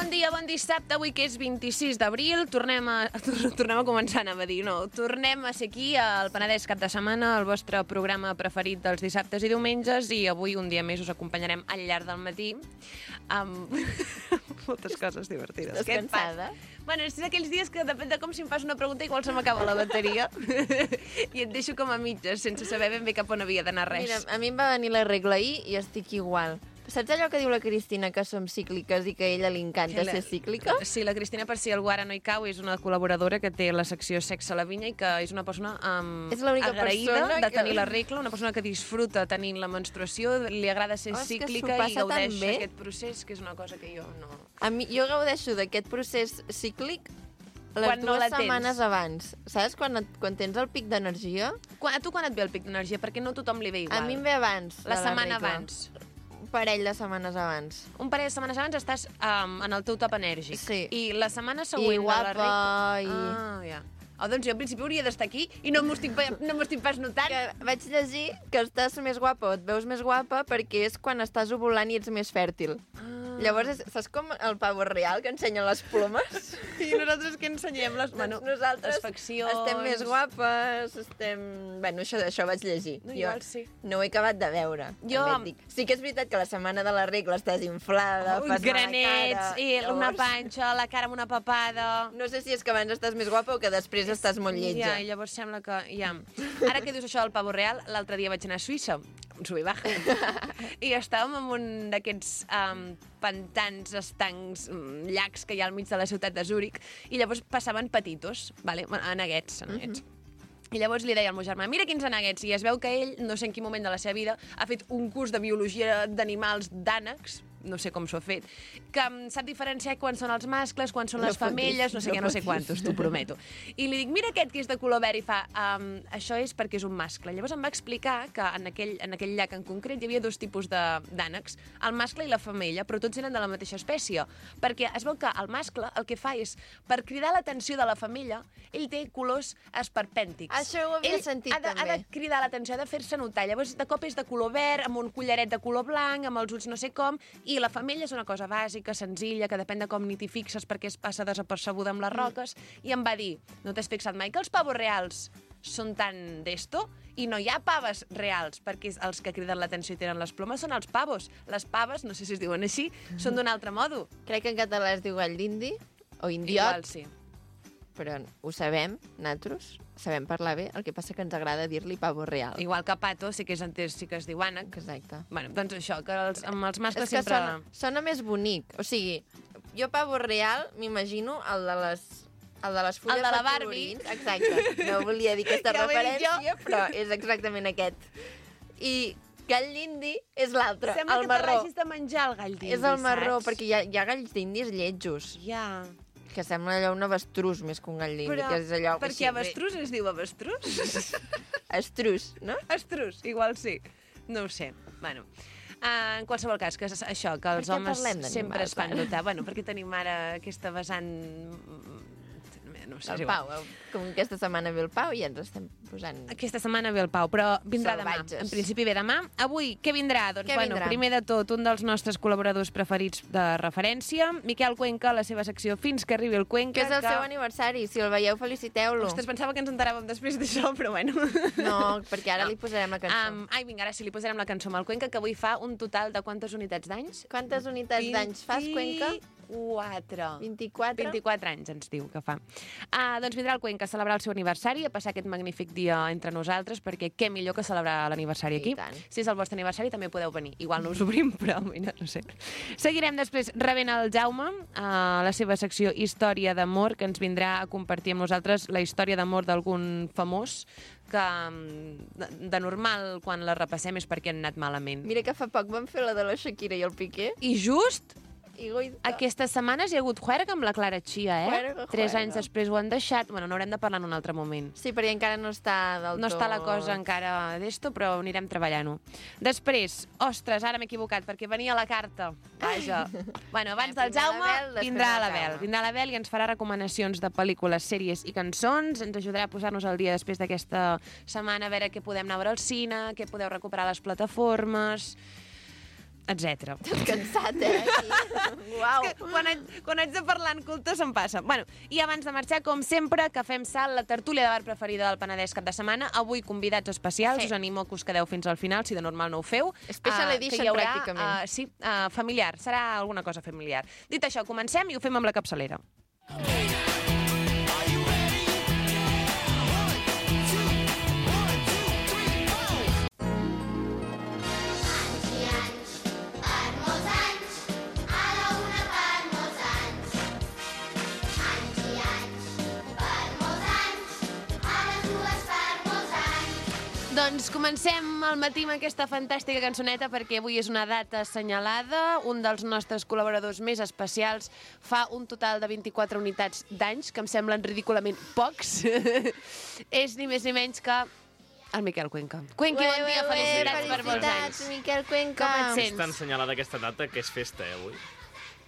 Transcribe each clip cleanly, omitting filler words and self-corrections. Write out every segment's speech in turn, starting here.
Bon dia, bon dissabte, avui que és 26 d'abril, tornem a començar, anava a dir, no, tornem a ser aquí al Penedès Cap de Setmana, el vostre programa preferit dels dissabtes i diumenges, i avui un dia més us acompanyarem al llarg del matí amb moltes coses divertides. Estàs cansada? Bueno, és d'aquells dies que depèn de com si em fas una pregunta igual se m'acaba la bateria i et deixo com a mitges, sense saber ben bé cap on havia d'anar res. Mira, a mi em va venir la regla ahir i estic igual. Saps allò que diu la Cristina, que som cícliques i que a ella li encanta ser cíclica? Sí, la Cristina, per si algú ara no hi cau, és una col·laboradora que té la secció Sexe a la Vinya i que és una persona És l'única agraïda persona de tenir la regla, una persona que disfruta tenint la menstruació, li agrada ser cíclica i gaudeix aquest procés, que és una cosa que jo no... Jo gaudeixo d'aquest procés cíclic les dues setmanes abans. Saps? Quan tens el pic d'energia. A tu quan et ve el pic d'energia? Perquè no a tothom li ve igual. A mi em ve abans. La setmana abans. Un parell de setmanes abans. Un parell de setmanes abans estàs en el teu top enèrgic. Sí. I la setmana següent... I guapa, ja. Doncs jo al principi hauria d'estar aquí i no m'ho estic pas notant. Que vaig llegir que estàs més guapa o et veus més guapa perquè és quan estàs ovulant i ets més fèrtil. Llavors, saps com el pavo real que ensenya les plomes? I nosaltres que ensenyem les... Nosaltres faccions... estem més guapes, Bueno, això vaig llegir. No, igual sí. No ho he acabat de veure. Sí que és veritat que la setmana de la regla estàs inflada, fas granets, mala cara... I una panxa, la cara amb una papada... No sé si és que abans estàs més guapa o que després estàs molt lletja. Ja, i llavors sembla que... Ja. Ara que dius això del pavo real, l'altre dia vaig anar a Suïssa, un sub i baja, i estàvem en un d'aquests pantans, estancs, llacs que hi ha al mig de la ciutat de Zúrich, i llavors passaven petitos, vale? Aneguets. I llavors li deia al meu germà, mira quins aneguets, i es veu que ell, no sé en quin moment de la seva vida, ha fet un curs de biologia d'animals d'ànecs, no sé com s'ho ha fet, que sap diferenciar quan són els mascles, quan són les femelles, no sé quantos, t'ho prometo. I li dic, mira aquest que és de color verd, i fa, això és perquè és un mascle. Llavors em va explicar que en aquell llac en concret hi havia dos tipus d'ànecs, el mascle i la femella, però tots eren de la mateixa espècie, perquè es veu que el mascle el que fa és, per cridar l'atenció de la femella, ell té colors esperpèntics. Això ho havia sentit també. Ha de cridar l'atenció, ha de fer-se notar. Llavors, de cop és de color verd, amb un collaret de color blanc, amb els ulls no sé com, i la femella és una cosa bàsica, senzilla, que depèn de com ni t'hi fixes perquè es passa desapercebuda amb les roques, i em va dir, no t'has fixat mai que els pavos reals són tan d'esto? I no hi ha paves reals, perquè els que criden l'atenció i tenen les plomes són els pavos. Les paves, no sé si es diuen així, són d'un altre modo. Crec que en català es diu gall d'indi, o indiot. Igual, sí. Però ho sabem, nosaltres, sabem parlar bé, el que passa que ens agrada dir-li pavo real. Igual que pato, sí que es diu ànec. Exacte. Bueno, doncs això, que amb els mascles és que sempre... Sona més bonic. O sigui, jo pavo real m'imagino el de les fulles el de la de colorins. Exacte. No volia dir aquesta referència, però és exactament aquest. I gall d'indi és l'altre, el marró. Sembla que te l'hagis de menjar, el gall d'indi, és el marró, perquè hi ha galls d'indis lletjos. Ja... Que sembla allò un avestruz més que un gall d'indi. Però que és allò, per què avestruz es diu avestruz? Estruz, no? Estruz, igual sí. No ho sé. Bueno, en qualsevol cas, que és això, que els homes sempre es fan notar. Bueno, perquè tenim ara aquesta vessant... No sé, el Pau, com aquesta setmana ve el Pau i ens estem posant... Aquesta setmana ve el Pau, però vindrà salvatges. Demà. En principi ve demà. Avui, què vindrà? Doncs, vindrà? Primer de tot, un dels nostres col·laboradors preferits de referència, Miquel Cuenca, la seva secció Fins que arribi el Cuenca. Que és el seu aniversari, si el veieu, feliciteu-lo. Ostres, pensava que ens enteràvem després d'això, però bueno. No, perquè ara li posarem la cançó. Vinga, ara sí, li posarem la cançó amb el Cuenca, que avui fa un total de quantes unitats d'anys? Quantes unitats d'anys fas, Cuenca? 24 anys ens diu que fa. Doncs vindrà el Cuenca a celebrar el seu aniversari, a passar aquest magnífic dia entre nosaltres, perquè què millor que celebrar l'aniversari aquí. Si és el vostre aniversari també podeu venir. Igual no us obrim, però mira, no sé. Seguirem després rebent el Jaume a la seva secció Història d'amor, que ens vindrà a compartir amb nosaltres la història d'amor d'algun famós que de normal quan la repassem és perquè han anat malament. Mira que fa poc vam fer la de la Shakira i el Piqué. I just... Aquestes setmanes hi ha hagut juerga amb la Clara Chia, Juerga. 3 anys després ho han deixat. Bueno, n'haurem de parlar en un altre moment. Sí, perquè encara no està del tot... No està la cosa encara d'esto, però anirem treballant-ho. Després, ostres, ara m'he equivocat, perquè venia la carta. Vaja. Bueno, abans del Jaume vindrà l'Abel. Vindrà l'Abel i ens farà recomanacions de pel·lícules, sèries i cançons. Ens ajudarà a posar-nos al dia després d'aquesta setmana, a veure què podem anar a veure al cine, què podeu recuperar a les plataformes... etc. T'has cansat, Uau. És que quan haig de parlar en culte se'm passa. Bueno, i abans de marxar, com sempre, que fem salt, la tertúlia de bar preferida del Penedès cap de setmana. Avui convidats especials, us animo que us quedeu fins al final, si de normal no ho feu. Special edition, que hi haurà, pràcticament. Sí, familiar, serà alguna cosa familiar. Dit això, comencem i ho fem amb la capçalera. Doncs comencem al matí amb aquesta fantàstica cançoneta perquè avui és una data assenyalada. Un dels nostres col·laboradors més especials fa un total de 24 unitats d'anys, que em semblen ridículament pocs. És ni més ni menys que el Miquel Cuenca. Cuenqui, bon dia, felicitats per molts anys. Miquel Cuenca. Com et sents? Està assenyalada aquesta data, que és festa, avui.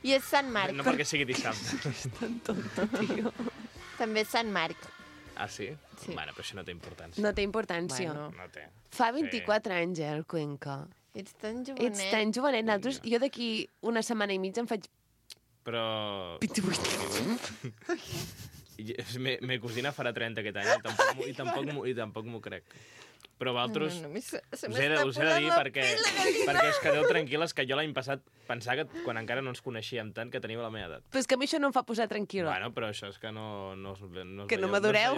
I és Sant Marc. No perquè sigui dissabte. Tan tonto, tio. També és Sant Marc. Ah, sí? Sí. Bueno, però això no té importància. No té importància. Bueno. No té. Fa 24 anys, el Cuenca. Ets tan jovenet. Ets tan jovenet. Nosaltres, jo d'aquí una setmana i mitja em faig Però... 28. Me cosina farà 30 aquest any i tampoc m'ho crec. Però vosaltres us he de dir perquè us quedeu tranquil·les que jo l'any passat pensava que quan encara no ens coneixíem tant que teníeu la meva edat. Però és que a mi això no em fa posar tranquil·la. Bueno, però això és que no Que no madureu.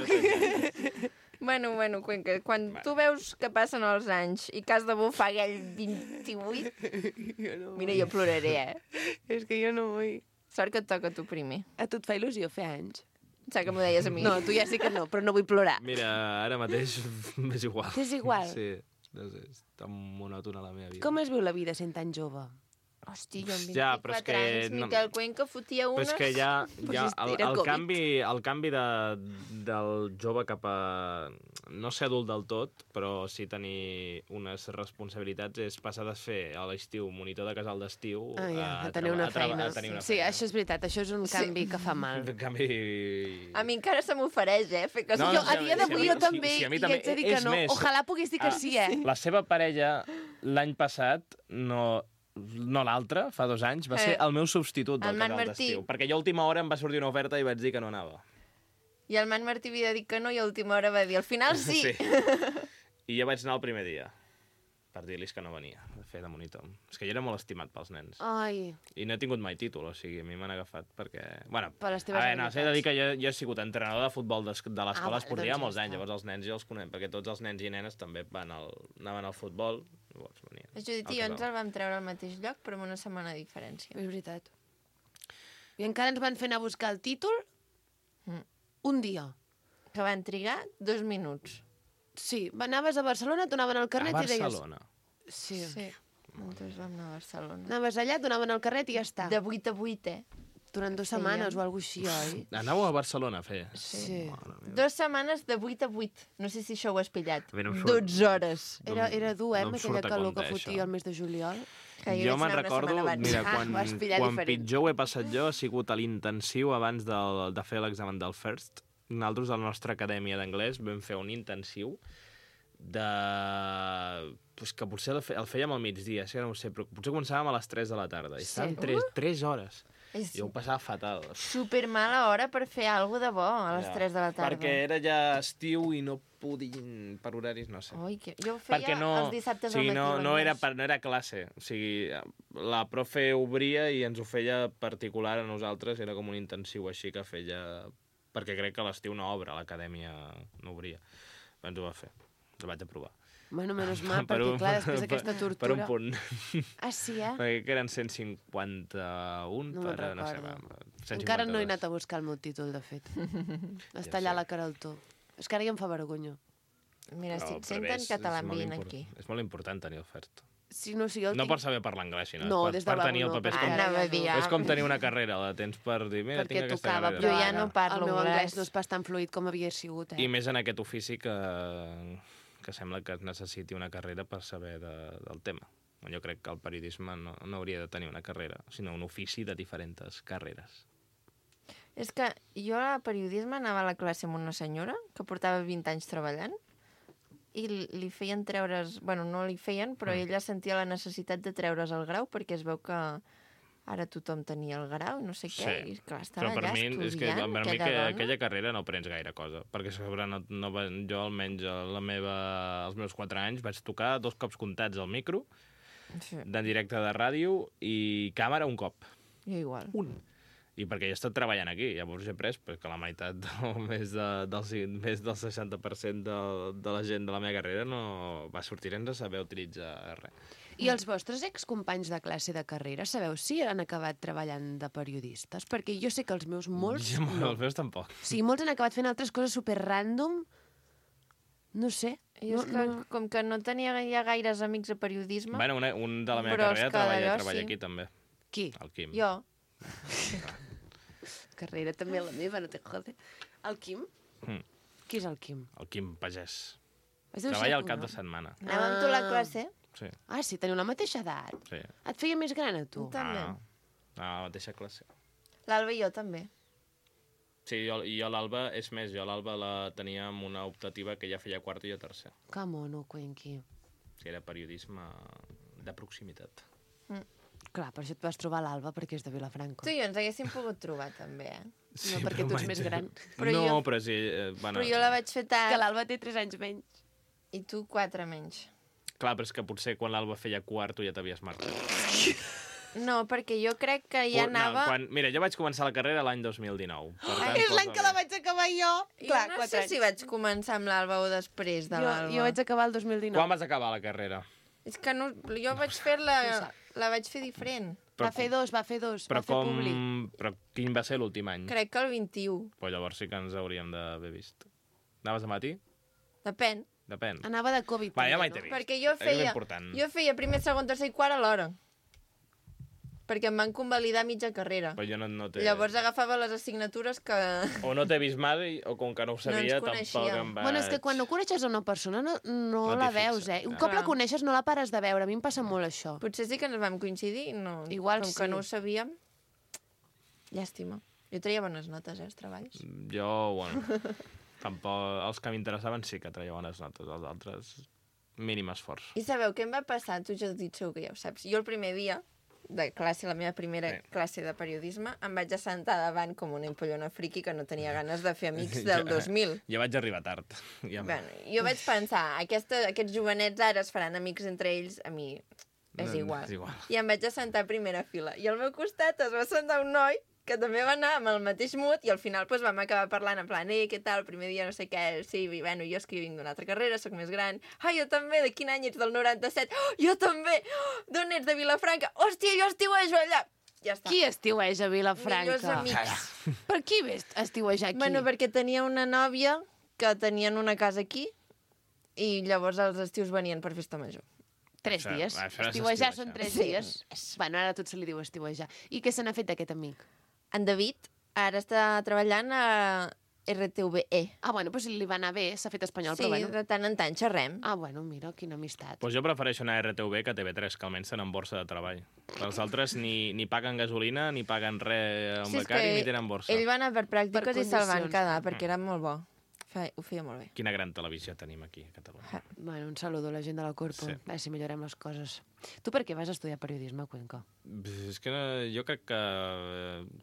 Bueno, Cuenca, quan tu veus que passen els anys i que has de bufar aquell 28... Mira, jo ploraré, És que jo no vull. Sort que et toca a tu primer. A tu et fa il·lusió fer anys? Saps que m'ho deies a mi? No, tu ja sí que no, però no vull plorar. Mira, ara mateix m'és igual. És igual? Sí, no sé, és tan monòtona la meva vida. Com es viu la vida sent tan jove? Hosti, jo amb 24 Ja, però és que anys, Miquel Cuenca fotia Però unes... és que ja era el Covid. canvi del jove cap a no ser adult del tot, però sí tenir unes responsabilitats, és passar de fer a l'estiu monitor de casal d'estiu A tenir una feina. Sí, això és veritat, això és un canvi que fa mal. Un canvi... A mi encara se m'ofereix, fer que... No, Jo, a dia d'avui, jo també, sí, a mi i també. haig de dir que És no. més, Ojalà pogués dir que sí, La seva parella l'any passat no l'altre, fa 2 anys, va ser el meu substitut del El Marc casal Martí. d'estiu. Perquè jo a última hora em va sortir una oferta i vaig dir que no anava. I el Marc Martí havia dit que no i a última hora va dir, al final sí. I jo vaig anar el primer dia per dir-los que no venia a fer de monitor. És que jo era molt estimat pels nens. Ai, I no he tingut mai títol, o sigui, a mi m'han agafat perquè... Bueno, Per les teves no, s'he de dir habilitats. que jo he sigut entrenador de futbol de l'escola esportiva doncs molts ja anys, està. llavors els nens ja els conec, perquè tots els nens i nenes també anaven al futbol, llavors venien. Judit i jo ens el vam treure al mateix lloc, però amb una setmana de diferència. és veritat. I encara ens van fer anar a buscar el títol un dia. Que van trigar 2 minuts. Sí, anaves a Barcelona, et donaven el carnet A i deies... Barcelona. Sí. Sí. Nosaltres vam anar a Barcelona. Anaves allà, et donaven el carnet i ja està. De 8 a 8, Durant 2 setmanes o alguna cosa així, oi? Anàveu a Barcelona a fer? Sí. 2 setmanes de 8 a 8. No sé si això ho has pillat. A mi no em surt. 12 hores. Era dur, no em amb surt aquella a calor compte, que fotia això. el mes de juliol. Que Jo vaig me'n anar una recordo, setmana abans. mira, ho vas pillar quan diferent. pitjor ho he passat jo ha sigut a l'intensiu abans de fer l'examen del FIRST. Nosaltres, a la nostra acadèmia d'anglès, vam fer un intensiu de... Pues que potser el fèiem al migdia, sí, no ho sé, però potser començàvem a les 3 de la tarda. I estàvem 3 hores. És Jo ho passava fatal. super mala hora per fer alguna de bo a les 3 de la tarda. Perquè era ja estiu i no podien per horaris, no sé. Ui, jo ho feia Perquè els dissabtes o sigui, al matí. no era classe. O sigui, la profe obria i ens ho feia particular a nosaltres, era com un intensiu així que feia... Perquè crec que a l'estiu no obre, l'acadèmia no obria. Ens ho va fer, ho vaig aprovar. Bueno, menys mal, perquè clar, després d'aquesta tortura... Per un punt. Ah, sí, eh? Perquè que eren 151 No me'n per... No sé, recordo. 152. Encara no he anat a buscar el meu títol, de fet. Està allà a la Caraltó. És que ara ja em fa vergonya. Mira, No, estic però sent bé, en català és molt ambient aquí. És molt important tenir l'oferta. Sí, no, sí, jo el No tinc... per saber parlar anglès, sinó No, per, des de per tenir el no, paper. És perquè com, ara Anava a ja dir, no. és com tenir una carrera, la tens per dir, mira, Perquè tinc aquesta tocava, carrera. però Jo ja ara no parlo el meu anglès. anglès no és pas tan fluid com havia sigut, I més en aquest ofici que sembla que es necessiti una carrera per saber del tema. Jo crec que el periodisme no hauria de tenir una carrera, sinó un ofici de diferents carreres. És que jo a periodisme anava a la classe amb una senyora que portava 20 anys treballant i li feien treure's... Bueno, no li feien, però ella sentia la necessitat de treure's el grau perquè es veu que ara tothom tenia el grau, no sé què, i clar, estan però per allà mi, estudiant, és que per mi aquella dona. aquella carrera no aprens gaire cosa, perquè sobre jo almenys els meus 4 anys vaig tocar 2 cops comptats al micro, Sí, d'en directe de ràdio i càmera un cop. jo igual. I perquè jo he estat treballant aquí, llavors he après que la meitat més del 60% de la gent de la meva carrera no va sortir sense saber utilitzar res. I els vostres excompanys de classe de carrera, sabeu si han acabat treballant de periodistes? Perquè jo sé que els meus molts... No. Els meus tampoc. Sí, molts han acabat fent altres coses super random. No sé. Jo és que, com que no tenia ja gaires amics a periodisme... Bueno, un de la meva Però és carrera que treballa d'allò sí. aquí també, Qui? el Quim. Jo. Carrera també la meva, no te jode. El Quim? Qui és el Quim? El Quim Pagès. Es deu ser Treballa al cognom. cap de setmana. Anàvem amb tu a la classe? Sí, Ah, sí, teniu la mateixa edat. sí. Et feia més gran a tu? També. A la mateixa classe. L'Alba i jo també. Sí, jo l'Alba, és més, jo l'Alba la tenia amb una optativa que ja feia quart i jo tercer. Que mono, Cuenqui. Sí, era periodisme de proximitat. Clar, per això et vas trobar l'Alba, perquè és de Vilafranca. Tu i jo ens haguéssim pogut trobar, també, eh? No, perquè tu ets més gran. Però no, jo- però sí... Bueno, Però jo la vaig fer Que tard l'Alba té 3 anys menys. i tu 4 menys. Clar, però és que potser quan l'Alba feia quart tu ja t'havies marcat. No, perquè jo crec que ja anava... Mira, jo vaig començar la carrera l'any 2019. Per tant, És l'any que la vaig acabar jo. Jo no sé si vaig començar amb l'Alba o després de l'Alba. Jo vaig acabar el 2019. Quan vas acabar la carrera? És que no, jo vaig fer-la... La vaig fer diferent. Però, Va fer dos, però, va fer públic. però quin va ser l'últim any? Crec que el 21. Pues llavors sí que ens hauríem d'haver vist. Anaves a matí? Depèn. Depèn. Anava de Covid. Va, ja també, mai t'he no? vist. Perquè jo És feia primer, segon, tercer i quart alhora. Perquè em van convalidar mitja carrera. Però jo no t'he... Llavors agafava les assignatures que... O no t'he vist mai, o com que no ho sabia, tampoc coneixíem. em vaig... Bueno, és que quan no coneixes a una persona no No la t'hi veus, fixes. Un Ah. cop la Clar. coneixes no la pares de veure. A mi em passa molt això. Potser sí que ens vam coincidir, no. Igual com sí. que no ho sabíem. Llàstima. Jo treia bones notes, els treballs. Jo, bueno, tampoc... Els que m'interessaven sí que traia bones notes, els altres mínim esforç. I sabeu què em va passar? Tu ja ho dit segur que ja ho saps. Jo el primer dia de classe, la meva primera classe de periodisme, em vaig assentar davant com una empollona friqui que no tenia ganes de fer amics del 2000. Jo vaig arribar tard. Ja Bueno, jo vaig pensar, aquests jovenets ara es faran amics entre ells, a mi és igual. És igual. I em vaig assentar a primera fila. I al meu costat es va assentar un noi que també va anar amb el mateix mood i al final doncs, vam acabar parlant en plan, què tal, el primer dia no sé què, sí, i bueno, jo és que vinc d'una altra carrera, sóc més gran, jo també, de quin any ets, del 97? Jo també! D'on ets, de Vilafranca? Hòstia, jo estiuejo allà! Ja està. Qui estiueja a Vilafranca? Millors amics. Per qui ves estiuejar aquí? Bueno, perquè tenia una nòvia que tenien una casa aquí i llavors els estius venien per festa major. 3 Això- dies. això és Estiuejar estiuejar. són 3 Sí. dies. Bueno, ara tot se li diu estiuejar. I què se n'ha fet d'aquest amic? En David ara està treballant a RTVE. Ah, bueno, doncs li va anar bé, s'ha fet espanyol, Sí, però bueno. de tant en tant xerrem. Ah, bueno, mira, quina amistat. Pues jo prefereixo anar a RTV que a TV3, que almenys tenen borsa de treball. Els altres ni paguen gasolina, ni paguen res a un Sí, és becari, que ni tenen borsa. ell va anar per pràctiques Per i se'l van condicions. quedar, perquè era molt bo. Ho feia molt bé. Quina gran televisió tenim aquí a Catalunya. Bueno, un saludo a la gent de la Corpo. Sí. A veure si millorem les coses. Tu per què vas estudiar periodisme a Cuenca? És que jo crec que...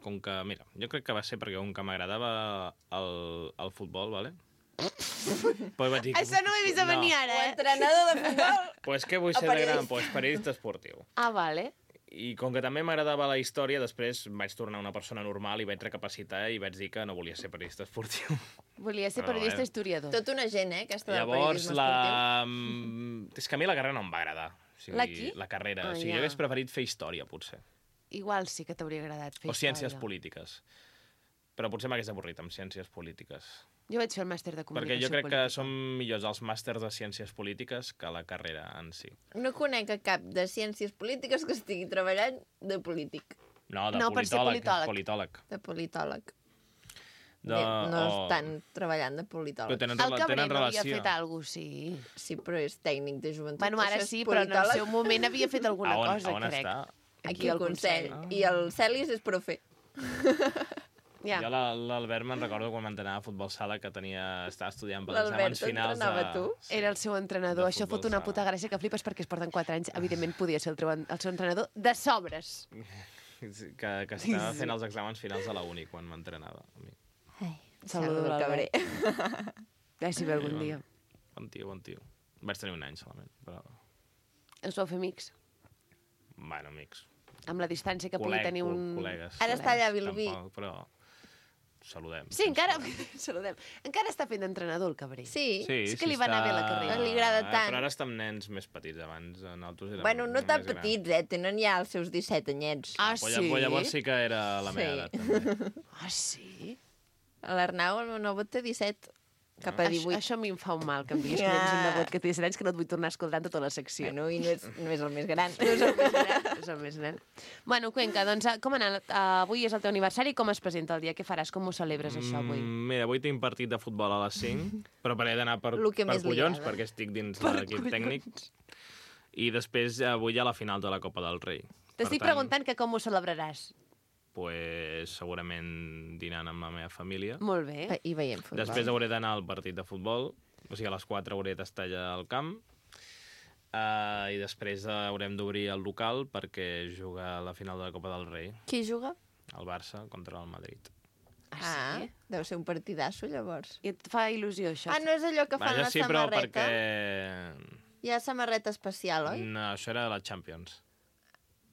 Com que... Mira, jo crec que va ser perquè com que m'agradava el futbol, ¿vale? Pues vaig dir... Això no ho he vist a venir ara, O entrenador de futbol. Pues què vull ser de gran? Pues periodista esportiu. Ah, vale. I com que també m'agradava la història, després vaig tornar una persona normal i vaig recapacitar i vaig dir que no volia ser periodista esportiu. Volia ser Però, periodista historiador. Tot una gent, aquesta del Llavors, periodisme esportiu. És que a mi la carrera no em va agradar. O sigui, La qui? La carrera. Ah, O sigui, ja. jo hagués preferit fer història, potser. Igual sí que t'hauria agradat fer O ciències història. polítiques. Però potser m'hagués avorrit amb ciències polítiques. Jo vaig fer el màster de Perquè comunicació jo crec que política. són millors els màsters de ciències polítiques que la carrera en si. No conec a cap de ciències polítiques que estigui treballant de polític, No, de No, per ser politòleg. politòleg. de politòleg. De, No estan treballant de Però politòleg. tenen, El Cabré tenen no havia relació. fet alguna cosa, sí. Sí, però és tècnic de joventut. Bueno, ara Això és sí, però en el politòleg. seu moment havia fet alguna cosa, on crec. està? Aquí al Consell. I el Celis és profe. Ja. Jo l'Albert me'n recordo quan m'entrenava a futbol sala que estava estudiant per exàmens L'Albert finals t'entrenava tu? Era el seu entrenador. De Això fot futbol una sala. puta gràcia que flipes perquè es porten 4 anys. Evidentment podia ser el seu entrenador de sobres. que estava fent els exàmens finals a la uni quan m'entrenava. a mi. Ai, Saludo el l'Albert. cabré. Ja si ve algun dia. Bon tio. Vaig tenir un any solament, però... Us vau fer amics? Bueno, amics. Amb la distància que pugui tenir un... Col·legues. Ara està allà a Vilobí. Tampoc, però saludem. Sí, encara... Saludem. Encara està fent d'entrenador, el cabrer. Sí. És que li va anar bé la carrera. Li agrada tant. Però ara està amb nens més petits. Abans nosaltres érem Bueno, no tan més grans. petits, tenen ja els seus 17 anyets. Ah, Però sí? llavors sí que era la meva Sí. edat, també. Ah, sí? L'Arnau, el meu nebot, té 17. Cap a 18. Això a mi em fa un mal, que em diguis que tens un nebot que té 17 anys que no et vull tornar a escoltar en tota la secció. Bueno, i no és el més gran. No és el més gran. És el més gran. Bueno, Cuenca, doncs com ha anat? Avui és el teu aniversari, com es presenta el dia? Què faràs? Com ho celebres, això, avui? Mira, avui tinc partit de futbol a les 5, però he d'anar per Lo que més li collons, agrada. perquè estic dins l'equip tècnic. I després avui hi ha la final de la Copa del Rei. T'estic Per tant, preguntant que com ho celebraràs. Pues, segurament dinant amb la meva família. Molt bé. I veiem futbol. Després hauré d'anar al partit de futbol, o sigui, a les 4 hauré d'estar allà al camp, i després haurem d'obrir el local perquè juga a la final de la Copa del Rei, Qui juga? el Barça contra el Madrid. Ah, sí? Deu ser un partidasso, llavors. I et fa il·lusió, això? Ah, no és allò que fan Vaja, la sí, però samarreta? perquè... Hi ha samarreta especial, oi? No, això era de la Champions.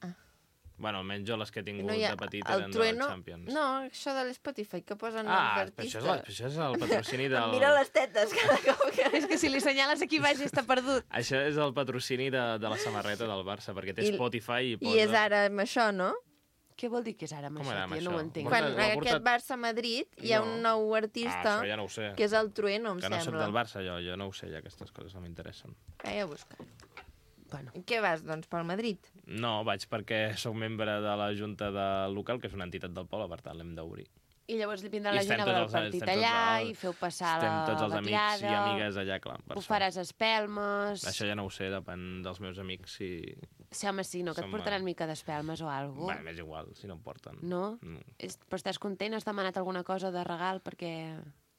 Ah. Bueno, almenys jo les que he tingut No hi ha... de petit el eren Trueno... de la Champions. No, això de l'Spotify, que posen Ah, els però artistes. això és el patrocini del... Em mira les tetes cada cop que... És que si li senyales aquí baix està perdut. Això és el patrocini de la samarreta del Barça, perquè té I- Spotify i posa... I és ara amb això, no? Què vol dir que és ara amb Com això? era amb Que jo no això? ho entenc. Quan- Quan ho ha aquest portat- Barça-Madrid hi ha No. un nou Ah, artista, això ja no ho sé. que és el Trueno, em Que no soc sembla. del Barça, jo no ho sé, ja aquestes coses no m'interessen. Vaig a buscar. Bueno, I què vas, doncs, pel Madrid? No, vaig perquè sóc membre de la Junta del local, que és una entitat del poble, per tant l'hem d'obrir. i llavors li vindrà I la gent a estem veure el tots els- partit estem tots allà els- i feu passar Estem la tots els amics i vetllada, amigues allà, clar. per ho sort. faràs a espelmes... Això ja no ho sé, depèn dels meus amics si... Sí, home, sí, no, que et Som, portaran mica d'espelmes o alguna Bueno, cosa. m'és igual, si no em porten. No? No. Però estàs content? Has demanat alguna cosa de regal? Perquè...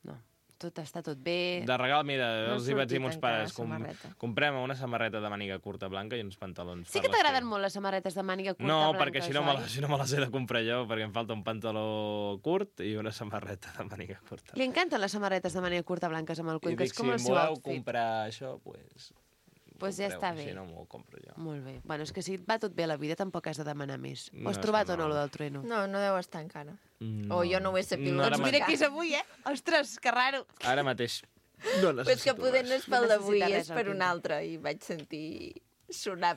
No, tot està tot bé. De regal, mira, No ha els hi vaig dir a sortit mons encara pares, la samarreta. comprem una samarreta de màniga curta blanca i uns pantalons. Sí per que t'agraden l'estiu. molt les samarretes de màniga curta No, blanques, perquè oi? si no me les he de comprar jo, perquè em falta un pantaló curt i una samarreta de màniga curta. Li encanten les samarretes de màniga curta blanques amb el I Cuenca, dic, és com si el em seu voleu outfit. comprar això, pues... Pues ja compreu, està bé. Si no, m'ho compro jo. Molt bé. Bueno, és que si et va tot bé a la vida tampoc has de demanar més. Ho No, has és trobat que o no, no. lo del trueno? No, no deu estar encara. No. O jo no ho he sabut. No, ara Doncs ma- mira qui és avui, eh? Ostres, que raro. Ara mateix no Però és que necessito poder no res. és pel No d'avui, necessita és res, el per un Quinto. altre. I vaig sentir sonar...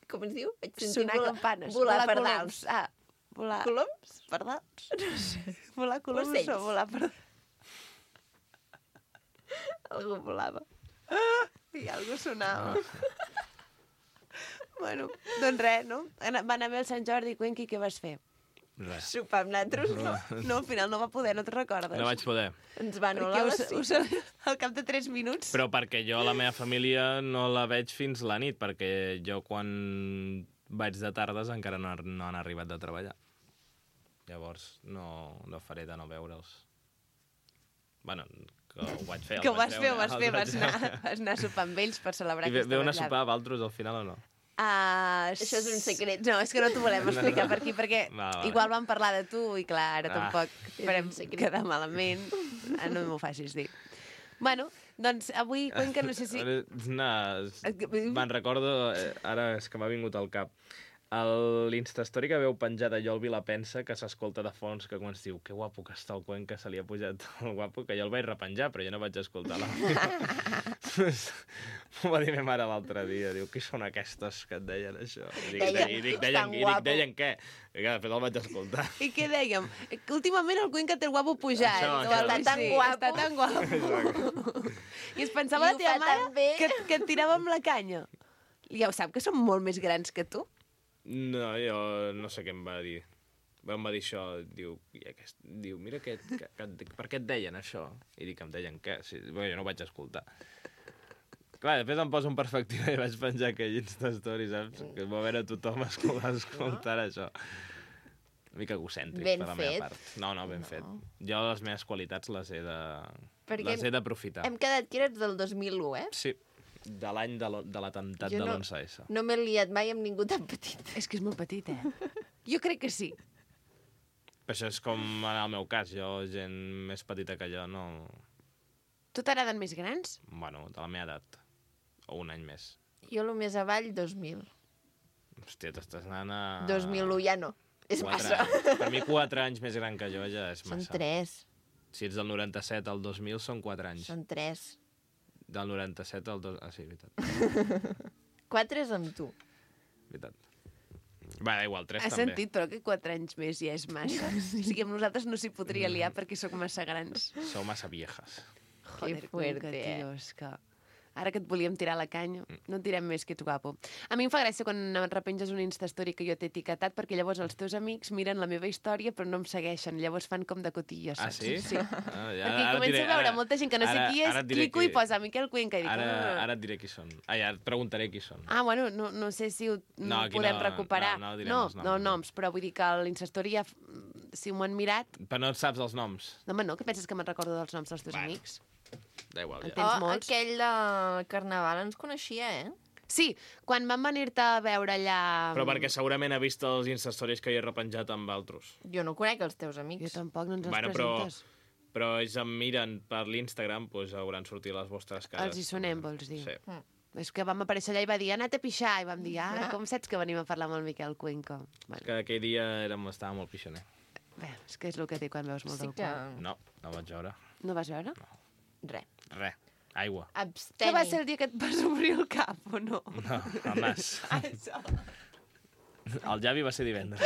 Com es diu? Vaig sentir Sonar campanes. volar per coloms. dalt. Ah, volar... Coloms? Per dalt? No sé. Volar coloms Ocells. o volar per dalt? Algú volava. I algú sonava. Bueno, doncs res, no? Va anar bé el Sant Jordi, Cuenqui, què vas fer? Res. Sopar amb nosaltres, no. No, al final no va poder, no te'n recordes? No vaig poder. Ens va Perquè anul·lar la cita. al cap de 3 minuts... Però perquè jo la meva família no la veig fins la nit, perquè jo quan vaig de tardes encara no han arribat de treballar. Llavors no faré de no veure'ls. Bueno, que ho vaig fer. Que ho vas fer, els vaig vas anar a sopar amb ells per celebrar I aquesta veu anar a vetllada. sopar a Valtros al final o no? Això és un secret. No, és que no t'ho volem explicar per aquí, perquè Va. igual vam parlar de tu i clar, ara Ah. tampoc És farem un secret. quedar malament. No m'ho facis dir. Bueno, doncs avui, Cuenca, no sé si... No, me'n recordo, ara és que m'ha vingut al cap, l'Instastory que veu penjada jo el Vilapensa, que s'escolta de fons, que quan es diu que guapo que està el Cuenca, se li ha pujat el guapo, que jo el vaig repenjar, però jo no vaig escoltar l'àudio. M'ho va dir ma mare l'altre dia, diu, qui són aquestes que et deien això? Tan guapo. Deien què? I que després el vaig escoltar. I què dèiem? Que últimament el Cuenca té el guapo pujat. Això, o això. algo Està tan així. guapo. Està tan guapo. I es pensava I la ho teva fa mare tan bé. que et tirava amb la canya. Ja ho sap, que són molt més grans que tu. No, jo no sé què em va dir. Em va dir això, diu mira, per què et deien això? I dic, em deien què? Sí, jo no ho vaig escoltar. Clar, després em poso en perspectiva i vaig penjar aquell Instastory, saps? Que va veure tothom escoltar això. Una mica egocèntric, Ben per la fet. meva part. No, ben fet. Jo les meves qualitats les he d'aprofitar. Hem quedat que eres del 2001, eh? Sí, de l'any de l'atemptat de l'11S. No m'he liat mai amb ningú tan petit. És que és molt petit, Jo crec que sí. Però això és com en el meu cas. Jo, gent més petita que jo, no... Tu t'agraden més grans? Bueno, de la meva edat. O un any més. Jo el més avall, 2000. Hòstia, t'estàs anant a... 2001 ja no. És massa. Per mi 4 anys més gran que jo ja és massa. Són 3. Si ets del 97 al 2000 són 4 anys. Són 3. Del 97 al... Ah, sí, veritat. 4 és amb tu. Veritat. Va, igual, 3 Has també. sentit, però que 4 anys més ja és massa. O sigui, amb nosaltres no s'hi podria liar perquè sóc massa grans. Sou massa viejas. Joder, fuerte, com que, tio, és que... Ara que et volíem tirar la canya, no et tirem més, que ets guapo. A mi em fa gràcia quan repenges una Instastory que jo t'he etiquetat, perquè llavors els teus amics miren la meva història però no em segueixen, llavors fan com de cotillo, Ah, saps? sí? Sí. Ah, ja, Perquè començo a veure molta gent que no sé qui és, clico i posa Miquel Cuenca i dic... Ara et diré qui són. Ja et preguntaré qui són. Ah, bueno, no sé si ho aquí podem no, recuperar. no direm els noms. No noms, però vull dir que a l'Instastory ja, si m'ho han mirat... Però no et saps els noms. No, home, no, que penses que me'n recordo dels noms dels teus Bueno. amics? Da igual, ja. Tens molts. Aquell de Carnaval ens coneixia, eh? Sí, quan van venir-te a veure allà... Però perquè segurament ha vist els Instastories que hi he repenjat amb altres. Jo no conec els teus Jo amics. tampoc, no ens els Bueno, presentes. Però ells em miren per l'Instagram, doncs hauran sortit les vostres cares. Els hi sonem, vols dir? Sí. És que vam aparèixer allà i va dir, ha anat a pixar, i vam dir, com saps que venim a parlar amb el Miquel Cuenca? Bueno, Que aquell dia estava molt pixoner. bé, és que és el que té quan veus molt Sí del que... cul. No vaig veure. No vas veure? Res. Res. Aigua. Absteni. Que va ser el dia que et vas obrir el cap, o no? No, el nas. Això. El Javi va ser divendres.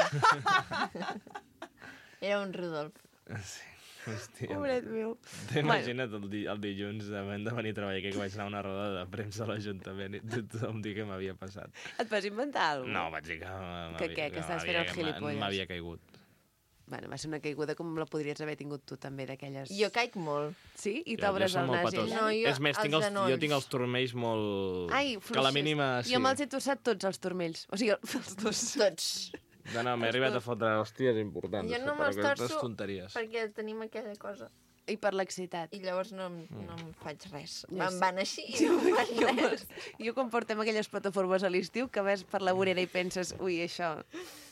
Era un Rodolf. Sí. Hòstia. Pobret meu. T'imagina't el dilluns havent de venir a treballar aquí, que vaig anar a una roda de premsa a l'Ajuntament i tothom dir què m'havia passat. Et vas inventar alguna cosa? No, vaig dir que... Que estaves fent el gilipolles? M'havia caigut. Bueno, va ser una caiguda com la podries haver tingut tu també, d'aquelles... Jo caic molt. Sí? I Jo t'obres som el molt nas i petós. allà? No, jo És més, els jo genolls. tinc els turmells molt... Ai, que a la mínima... Sí. Jo me'ls he tossat tots els turmells. O sigui, els dos. Tots. No, m'he arribat a fotre hòsties importants. Jo no per me'ls aquestes torço tonteries. perquè tenim aquella cosa. I per l'excitat. I llavors no em faig res. Ja Me'n sé. van així i no em fan res. Jo quan portem aquelles plataformes a l'estiu que vas per la vorera i penses, ui, això...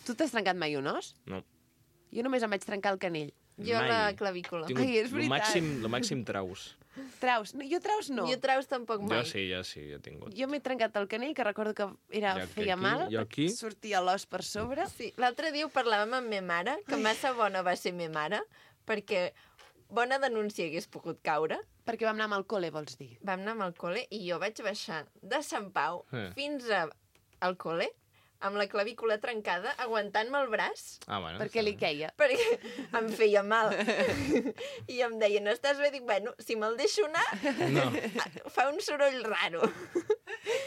Tu t'has trencat mai un os? No. Jo només em vaig trencar el canell. Jo Mai. la clavícula. Tinc Ai, és veritat. lo màxim traus. Traus. No, jo traus no. Jo traus tampoc mai. Jo sí, he tingut. Jo m'he trencat el canell, que recordo que feia aquí, mal. jo aquí. Sortia l'os per sobre. Sí, l'altre dia ho parlàvem amb ma mare, que massa bona va ser ma mare, perquè bona denúncia hagués pogut caure. Perquè vam anar amb el col·le, vols dir? Vam anar amb el col·le i jo vaig baixar de Sant Pau fins al col·le amb la clavícula trencada, aguantant-me el braç, Ah, bueno. Perquè li queia. perquè em feia mal. I em deien, estàs bé? Dic, bueno, si me'l deixo anar, No. fa un soroll raro.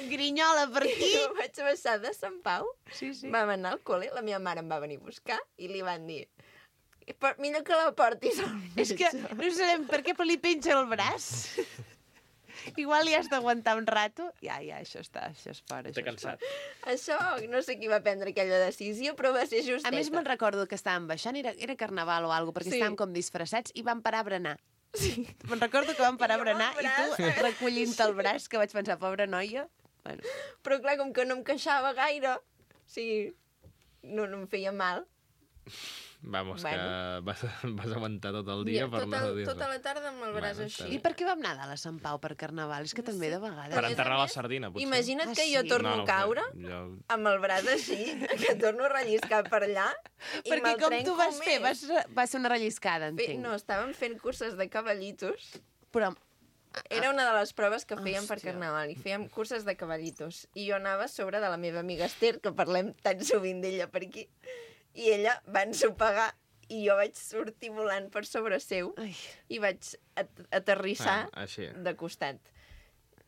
Grinyola per aquí. I vaig baixar de Sant Pau, Sí, sí. vam anar al col·le, la meva mare em va venir a buscar i li van dir, millor que la portis al És que no sabem per què, però li penja el braç. Igual li has d'aguantar un rato. Ja, això és fora. T'he cansat. Això, no sé qui va prendre aquella decisió, però va ser justeta. A més, me'n recordo que estàvem baixant, era carnaval o alguna cosa, perquè Sí. estàvem com disfressats i vam parar a berenar. Sí. Me'n recordo que vam parar a I jo amb berenar el i tu recollint el braç, que vaig pensar, pobra noia. Bueno, Però clar, com que no em queixava gaire, o sigui, no em feia mal. Vamos, Bueno. que vas aguantar tot el dia per no dir tota res. la tarda amb el braç Bueno, així. i per què vam anar a Nadal a Sant Pau per carnaval? És que també de Per vegades... a més enterrar a la més, sardina, potser. Imagina't Ah, que jo sí? torno a caure Jo... amb el braç així, que torno a relliscar per allà i Perquè me'l com trenco tu vas fer? més. Va ser una relliscada, entenc. No, estàvem fent curses de cavallitos. Però Era una de les proves que fèiem per Hòstia. carnaval i fèiem curses de cavallitos. I jo anava a sobre de la meva amiga Esther, que parlem tan sovint d'ella per aquí, i ella va ensopegar i jo vaig sortir volant per sobre seu Ai. i vaig aterrissar així. de costat.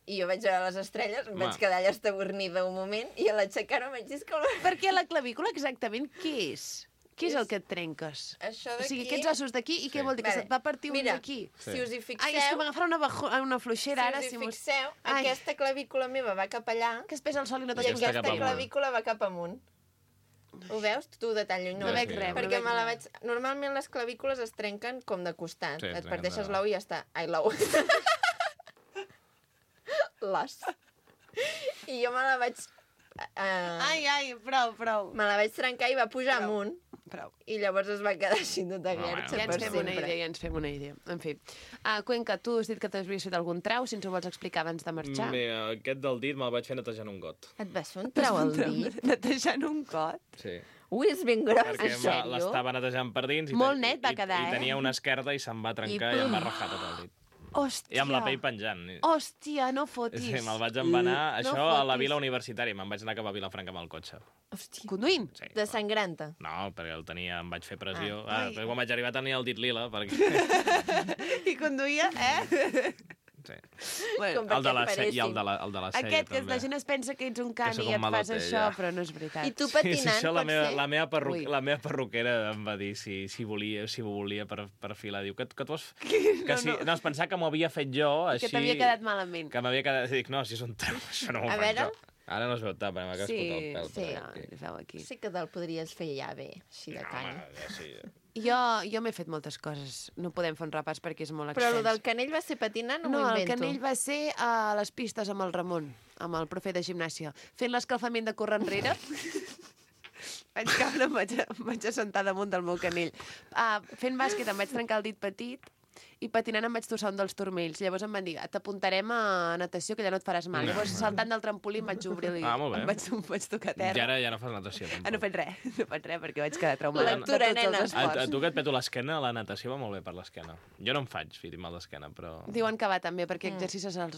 I jo vaig veure les estrelles, em Home. vaig quedar allà estabornida un moment i a l'aixecar-me vaig dir que perquè la clavícula exactament què és? Què és el que et trenques? això O d'aquí... sigui, aquests ossos d'aquí, i què Sí. vol dir? Que Vale. se't va partir un Mira, d'aquí? si us hi fixeu, Ai, és que m'agafarà una fluixera ara. si us hi mos- fixeu, Ai. aquesta clavícula meva va cap allà Que es pesa el sol i no i t'ajusta. Aquesta aquesta cap amunt. clavícula va cap amunt. Ho veus? Tu de tan lluny No veig res, no Perquè veig me la res. vaig... Normalment les clavícules es trenquen com de costat. Sí, Et trenquen parteixes de- l'ou i ja està. Ai, l'ou. L'os. I jo me la vaig... Ai, prou. Me la vaig trencar i va pujar amunt. Prou. I llavors es va quedar així tota guerxa Ja per ens fem una idea. En fi. Cuenca, tu has dit que t'havies fet algun trau, si ens ho vols explicar abans de marxar. Aquest del dit me'l vaig fer netejant un got. Et vas fer un trau al dit? Netejant un got. Sí. Ui, és ben gros, Perquè en sèrio? l'estava netejant per dins Molt net va quedar, i tenia una esquerda i se'm va trencar i em va rajar tot el dit. Hòstia. I amb la pell penjant. Hòstia, no fotis. Sí, me'l vaig embanar, això a la fotis. vila universitària. Me'n vaig anar cap a Vilafranca amb el cotxe. Hòstia. Conduint? Sí. De sangranta. No, perquè el tenia, em vaig fer pressió. Ai. Però quan vaig arribar tenia el dit lila, perquè... I conduïa, Sí. Bueno, Com El de la perquè C i el paréssim. de la C aquest, que també. la gent es pensa que ets un Que cani sóc i un et fas malote, això, ja. però no és veritat. I tu Sí, patinant, això pot ser? la meva perruquera em va dir si ho volia per filar. Diu, que tu has... No, es pensava que m'ho havia fet jo, així... Que t'havia quedat malament. Que m'havia quedat... Dic, no, si és un trau, això no m'ho A faig veure? jo. Ara no es veu tant, perquè m'ha cascut el pèl. sí. però aquí. No, feu aquí. Sí que te'l podries fer ja bé, així de canya. Home, ja sí. Jo m'he fet moltes coses. No podem fer un repàs perquè és molt extens. Però el del canell va ser patinant o No, m'ho el invento? canell va ser a les pistes amb el Ramon, amb el profe de gimnàsia. Fent l'escalfament de córrer enrere, vaig caure, em vaig assentar damunt del meu canell. Fent bàsquet em vaig trencar el dit petit i patinant em vaig torçar un dels turmells. Llavors em van dir, t'apuntarem a natació, que ja no et faràs mal. Llavors, saltant del trampolí, em vaig obrir i Molt bé. em vaig tocar a I terra. ara ja no fas natació, tampoc. No faig res, perquè vaig quedar traumada Lectura, de tots nena. els esports. A tu que et peto l'esquena, la natació va molt bé per l'esquena. Jo no em faig mal d'esquena, però... Diuen que va també, perquè exercicis els...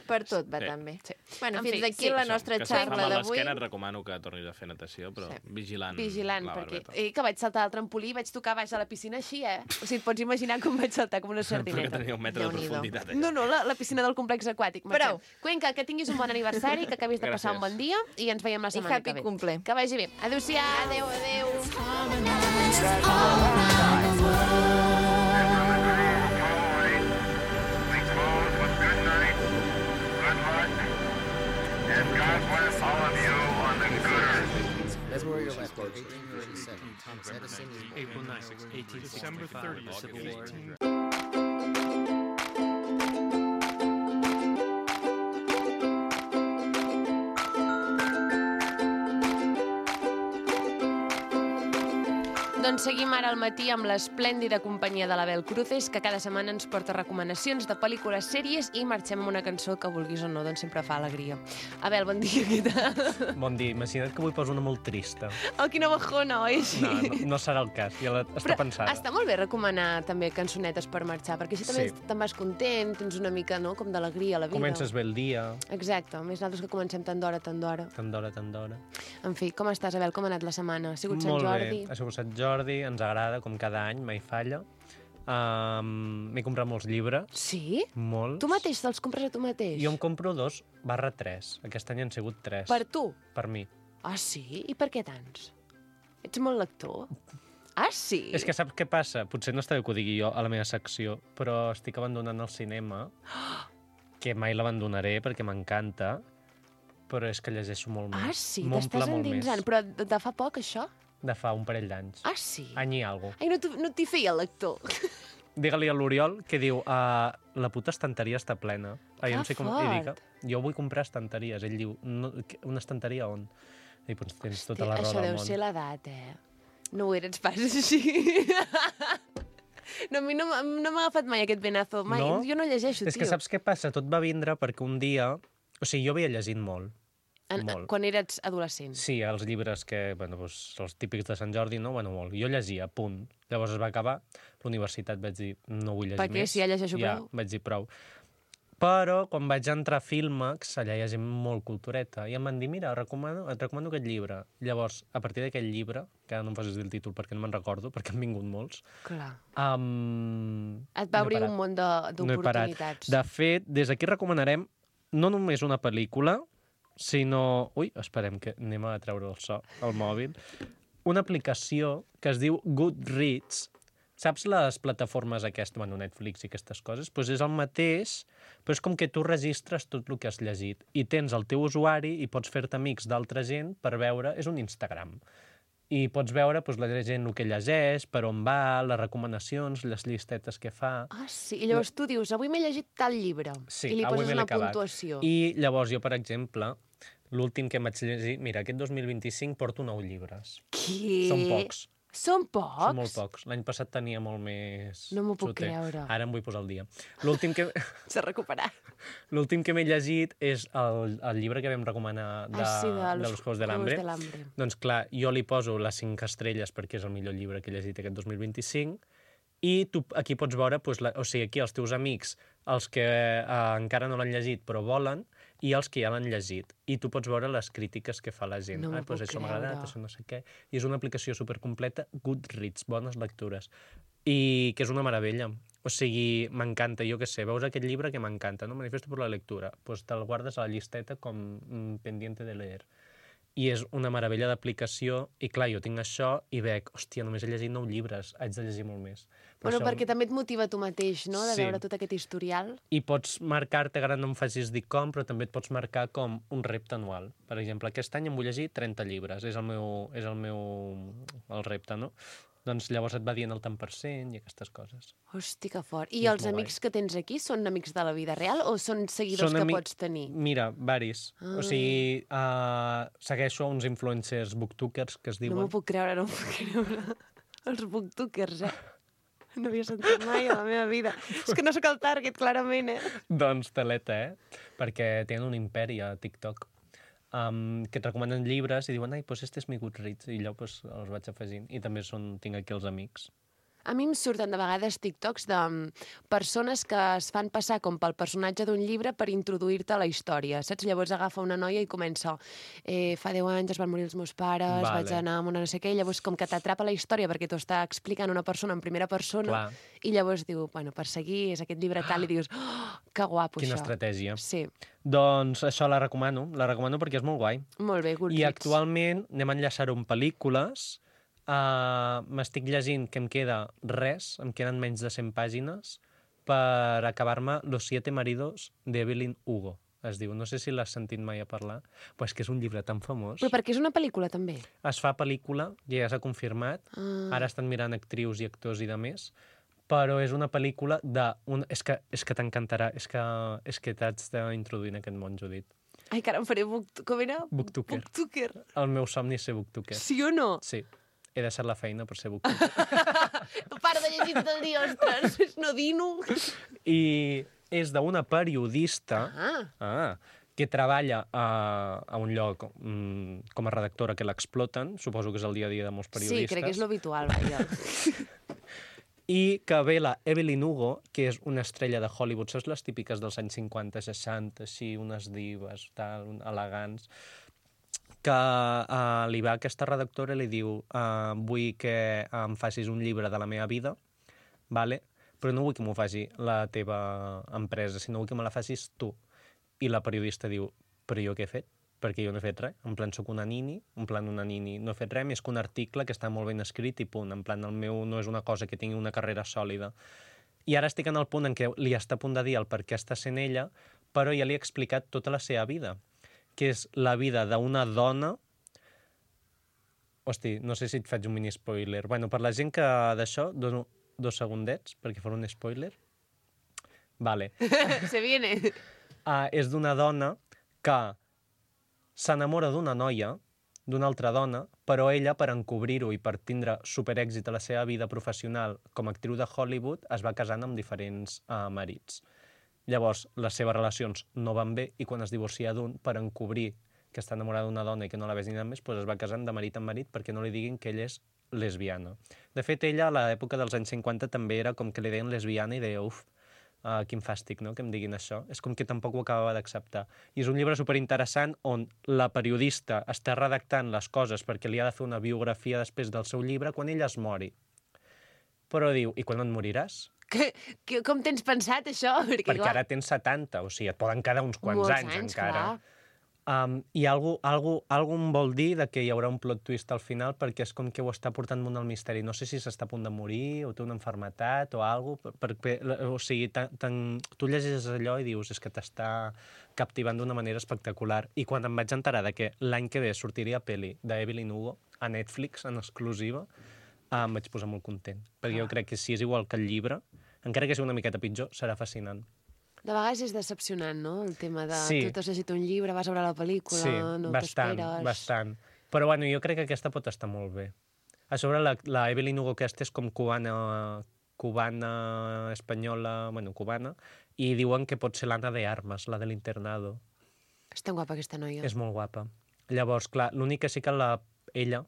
Per tot va Sí. també. Sí. Bueno, En fi, fins aquí sí. la nostra que si et fa xarra mal d'avui. l'esquena et recomano que tornis a fer natació, però Sí. vigilant Vigilant, la perquè... barbeta. Que vaig saltar al trampolí i vaig tocar baix a la piscina així, O sigui, et pots imaginar com vaig saltar com una Perquè sardineta. tenia 1 metre de Déu-n'hi-do. profunditat. No, la piscina del complex aquàtic. Marxem. Prou. Cuenca, que tinguis un bon aniversari, que acabis de passar un Gràcies. bon dia i ens veiem la I setmana happy que ve. cumple. Que vagi bé. Adéu-siau. Adéu, adéu. God bless all of you on the good earth. That's where you're left. 1837. Thomas Edison is born. April 9, 1865. December 30th, Civil War. Doncs seguim ara al matí amb l'esplèndida companyia de l'Abel Cruces, que cada setmana ens porta recomanacions de pel·lícules, sèries i marxem amb una cançó que, vulguis o no, doncs sempre fa alegria. Abel, bon dia, què tal? Bon dia. Imagina't que avui poso una molt trista. Oh, quina bajona, oi? No serà el cas, ja està pensada. Està molt bé recomanar també cançonetes per marxar, perquè així també Sí. te'n vas content, tens una mica, no?, com d'alegria a la vida. Comences bé el dia, Exacte, a més nosaltres que comencem tant d'hora. tant d'hora. En fi, com estàs, Abel? Com ha anat la setmana? Ha sigut Sant Molt Jordi? bé, ha sigut Sant Jordi, ens agrada, com cada any, mai falla. M'he comprat molts llibres, Sí? molts. Tu mateix te'ls compres a tu mateix? Jo em compro 2/3. Aquest any han sigut 3. Per tu? Per mi. Ah, sí? I per què tants? Ets molt lector? Ah, sí? És que saps què passa? Potser no està bé que ho digui jo a la meva secció, però estic abandonant el cinema, que mai l'abandonaré perquè m'encanta, però és que llegeixo molt més. Ah, sí? M'omple T'estàs molt endinsant. més. Però de fa poc, això? De fa un parell d'anys. Ah, sí? Any i alguna cosa. Ai, no t'hi feia lector. Digue-li a l'Oriol que diu la puta estanteria està plena. Ai, Que no sé com... fort. I dic, jo vull comprar estanteries. Ell diu, no, una estanteria on? I doncs tens tota la raó Això del deu món. ser l'edat, No ho eres pas així. No, a mi no m'ha agafat mai aquest venazo. Mai. No? Jo no llegeixo, És que saps què passa? Tot va vindre perquè un dia... O sigui, jo havia llegit molt. molt. Quan eres adolescent. Sí, els llibres que, bueno, doncs, els típics de Sant Jordi, no? Bueno, molt. Jo llegia, punt. Llavors es va acabar. L'universitat vaig dir, no vull llegir Per què? més. Si ja llegeixo ja, prou. vaig dir prou. Però, quan vaig entrar a Filmax, allà hi ha gent molt cultureta, i em van dir, mira, et recomano aquest llibre. Llavors, a partir d'aquell llibre, que ara no em facis dir el títol perquè no me'n recordo, perquè han vingut molts, Clar. et Et va obrir un món d'oportunitats. De fet, des d'aquí recomanarem no només una pel·lícula, sinó... Ui, esperem que anem a treure el so al mòbil. Una aplicació que es diu Goodreads. Saps les plataformes aquestes, bueno, Netflix i aquestes coses? Doncs és el mateix, però és com que tu registres tot el que has llegit i tens el teu usuari i pots fer-te amics d'altra gent per veure... És un Instagram. I pots veure doncs, la gent el que llegeix, per on va, les recomanacions, les llistetes que fa. Ah, sí. I llavors tu dius, avui m'he llegit tal llibre. Sí, I li avui poses me l'he una acabat. puntuació. I llavors jo, per exemple, l'últim que em vaig llegir... Mira, aquest 2025 porto 9 llibres. Què? Són pocs. Són pocs? Són molt pocs. L'any passat tenia molt més... No m'ho puc soter. creure. Ara em vull posar al dia. L'últim que... S'ha recuperat. L'últim que m'he llegit és el llibre que vam recomanar de los Juegos del Hambre. Doncs clar, jo li poso les 5 estrelles perquè és el millor llibre que he llegit aquest 2025 i tu aquí pots veure, doncs, o sigui, aquí els teus amics, els que encara no l'han llegit però volen, i els que ja l'han llegit. I tu pots veure les crítiques que fa la gent. No m'ho Doncs puc això m'ha agradat, creure. això no sé què. I és una aplicació supercompleta, Goodreads, bones lectures. I que és una meravella. O sigui, m'encanta, jo què sé, veus aquest llibre que m'encanta, no? Manifiesto por la lectura. Pues te'l guardes a la llisteta com pendiente de leer. I és una meravella d'aplicació, i clar, jo tinc això i veig, hòstia, només he llegit 9 llibres, haig de llegir molt més. Bueno, perquè també et motiva tu mateix, no?, de Sí. veure tot aquest historial. I pots marcar-te, ara no em facis dir com, però també et pots marcar com un repte anual. Per exemple, aquest any em vull llegir 30 llibres, és el repte, no? Doncs llavors et va dient el tant per cent i aquestes coses. Hosti, que fort. I És els molt amics que tens aquí són amics de la vida real o són seguidors Són que ami- pots tenir? Mira, varis. O sigui, segueixo uns influencers booktokers que es No diuen. m'ho puc creure, no m'ho puc creure. Els booktokers, No havia sentit mai a la meva vida. És que no sóc el target, clarament, Doncs teleta, perquè tenen un imperi a TikTok. Que et recomanen llibres i diuen, ai, doncs este és mi Goodreads, i allò doncs, els vaig afegint. I també tinc aquí els amics. A mi em surten de vegades TikToks de persones que es fan passar com pel personatge d'un llibre per introduir-te a la història, saps? Llavors agafa una noia i comença fa 10 anys es van morir els meus pares, Vale. vaig anar amb una no sé què, i llavors com que t'atrapa la història perquè t'ho està explicant una persona en primera persona, Clar. i llavors diu, bueno, per seguir és aquest llibre tal, i dius, que guapo Quina això. estratègia. Sí, Doncs això la recomano perquè és molt guai. molt bé, I Goodreads. actualment anem a enllaçar-ho amb pel·lícules. M'estic llegint que em queda res, em queden menys de 100 pàgines per acabar-me Los 7 maridos de Evelyn Hugo, es diu. No sé si l'has sentit mai a parlar, però és que és un llibre tan famós. Però perquè és una pel·lícula, també. Es fa pel·lícula, ja s'ha confirmat, ara estan mirant actrius i actors i de més, però és una pel·lícula de... És que t'encantarà, és que t'haig d'introduir en aquest món, Judit. Ai, que ara em faré com era? Booktuker. Booktuker. El meu somni és ser booktuker. Sí o no? Sí. He deixat la feina per ser booktuker. Para de llegir tot el dia, ostres, no dino. I és d'una periodista que treballa a un lloc com a redactora que l'exploten, suposo que és el dia a dia de molts periodistes. Sí, crec que és l'habitual, vaja. I que ve la Evelyn Hugo, que és una estrella de Hollywood, saps les típiques dels anys 50, 60, així, unes divas, tal, elegants, que li va a aquesta redactora i li diu vull que em facis un llibre de la meva vida, vale? Però no vull que m'ho faci la teva empresa, sinó vull que me la facis tu. I la periodista diu, però jo què he fet? Perquè jo no he fet res. En plan, soc una nini, no he fet res, més que un article que està molt ben escrit i punt. En plan, el meu no és una cosa que tingui una carrera sòlida. I ara estic en el punt en què li està a punt de dir el per què està sent ella, però ja li he explicat tota la seva vida, que és la vida d'una dona... Hosti, no sé si et faig un mini spoiler. Bueno, per la gent que d'això, dono 2 segundets perquè faré un spoiler. Vale. Se viene. És d'una dona que s'enamora d'una noia, d'una altra dona, però ella, per encobrir-ho i per tindre superèxit a la seva vida professional com a actriu de Hollywood, es va casant amb diferents marits. Llavors, les seves relacions no van bé i quan es divorcia d'un, per encobrir que està enamorada d'una dona i que no la ves ni més, doncs es va casant de marit en marit perquè no li diguin que ella és lesbiana. De fet, ella, a l'època dels anys 50, també era com que li deien lesbiana i deia, uf, quin fàstic, no?, que em diguin això. És com que tampoc ho acabava d'acceptar. I és un llibre superinteressant on la periodista està redactant les coses perquè li ha de fer una biografia després del seu llibre quan ella es mori. Però diu, i quan et moriràs? Com tens pensat, això? Perquè ara tens 70, o sigui, et poden quedar uns quants anys encara. Clar. I algú em vol dir que hi haurà un plot twist al final perquè és com que ho està portant molt al misteri. No sé si s'està a punt de morir o té una malaltia o alguna cosa. O sigui, tu llegeixes allò i dius és que t'està captivant d'una manera espectacular. I quan em vaig enterar que l'any que ve sortiria pel·li d'Evelyn Hugo, a Netflix en exclusiva, em vaig posar molt content. Perquè jo crec que si és igual que el llibre, encara que sigui una miqueta pitjor, serà fascinant. De vegades és decepcionant, no? El tema de Sí. tu t'has llegit un llibre, vas a veure la pel·lícula, Sí, no bastant, t'esperes. bastant. Però bueno, jo crec que aquesta pot estar molt bé. A sobre, la Evelyn Hugo aquesta és com cubana, espanyola, bueno, cubana, i diuen que pot ser l'Anna de Armas, la de l'internado. És tan guapa aquesta noia. És molt guapa. Llavors, clar, l'únic que sí que ella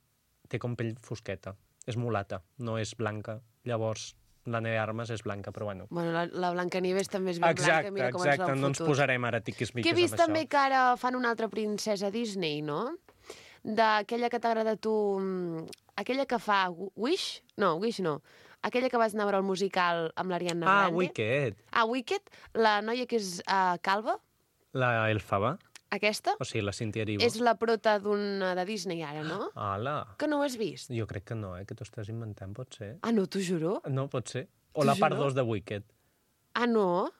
té com pell fosqueta. És mulata, no és blanca. Llavors, l'Anna de Armas és blanca, però bueno. Bueno, la Blancanieves també és ben blanca, mira com ens l'han no ens fotut. posarem ara tiquis-miquis Que he vist amb això. també que ara fan una altra princesa Disney, no? D'aquella que t'agrada a tu... Aquella que fa Wish? No, Wish no. Aquella que vas anar a veure el musical amb l'Ariana Grande. Wicked. Wicked. La noia que és calva, La Elfaba. aquesta, O sigui, la Cynthia Erivo. és la prota d'una de Disney ara, no? Ala. Que no ho has vist? Jo crec que no, que t'ho estàs inventant, pot ser. No, t'ho juro. No, pot ser. O T'ho la part juro. 2 de Wicked. No?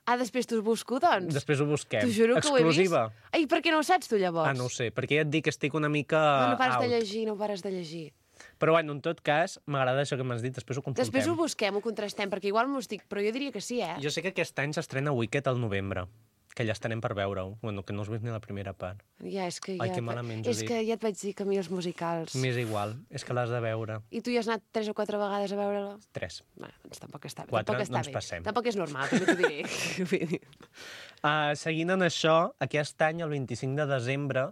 Després t'ho busco, doncs. Després ho busquem. T'ho juro que ho he vist. Exclusiva. Ai, per què no ho saps tu, llavors? No ho sé, perquè ja et dic que estic una mica No pares out. de llegir, no pares de llegir. Però bueno, en tot cas, m'agrada això que m'has dit, després ho consultem. Després ho busquem, ho contrastem, perquè igual m'ho estic... Però jo diria que sí, Jo sé que aquest any s'estrena Wicked al novembre, que ja estarem per veure-ho. Bueno, que no has vist ni la primera part. Ja, és que Ai, ja... que malament ho he És dit. que ja et vaig dir que a mi els musicals... M'és igual, és que l'has de veure. I tu hi has anat 3 o 4 vegades a veure-la? 3. Bueno, doncs tampoc està bé. 4, tampoc està no ens bé. passem. Tampoc és normal, també t'ho diré. Vull dir. Seguint en això, aquest any, el 25 de desembre,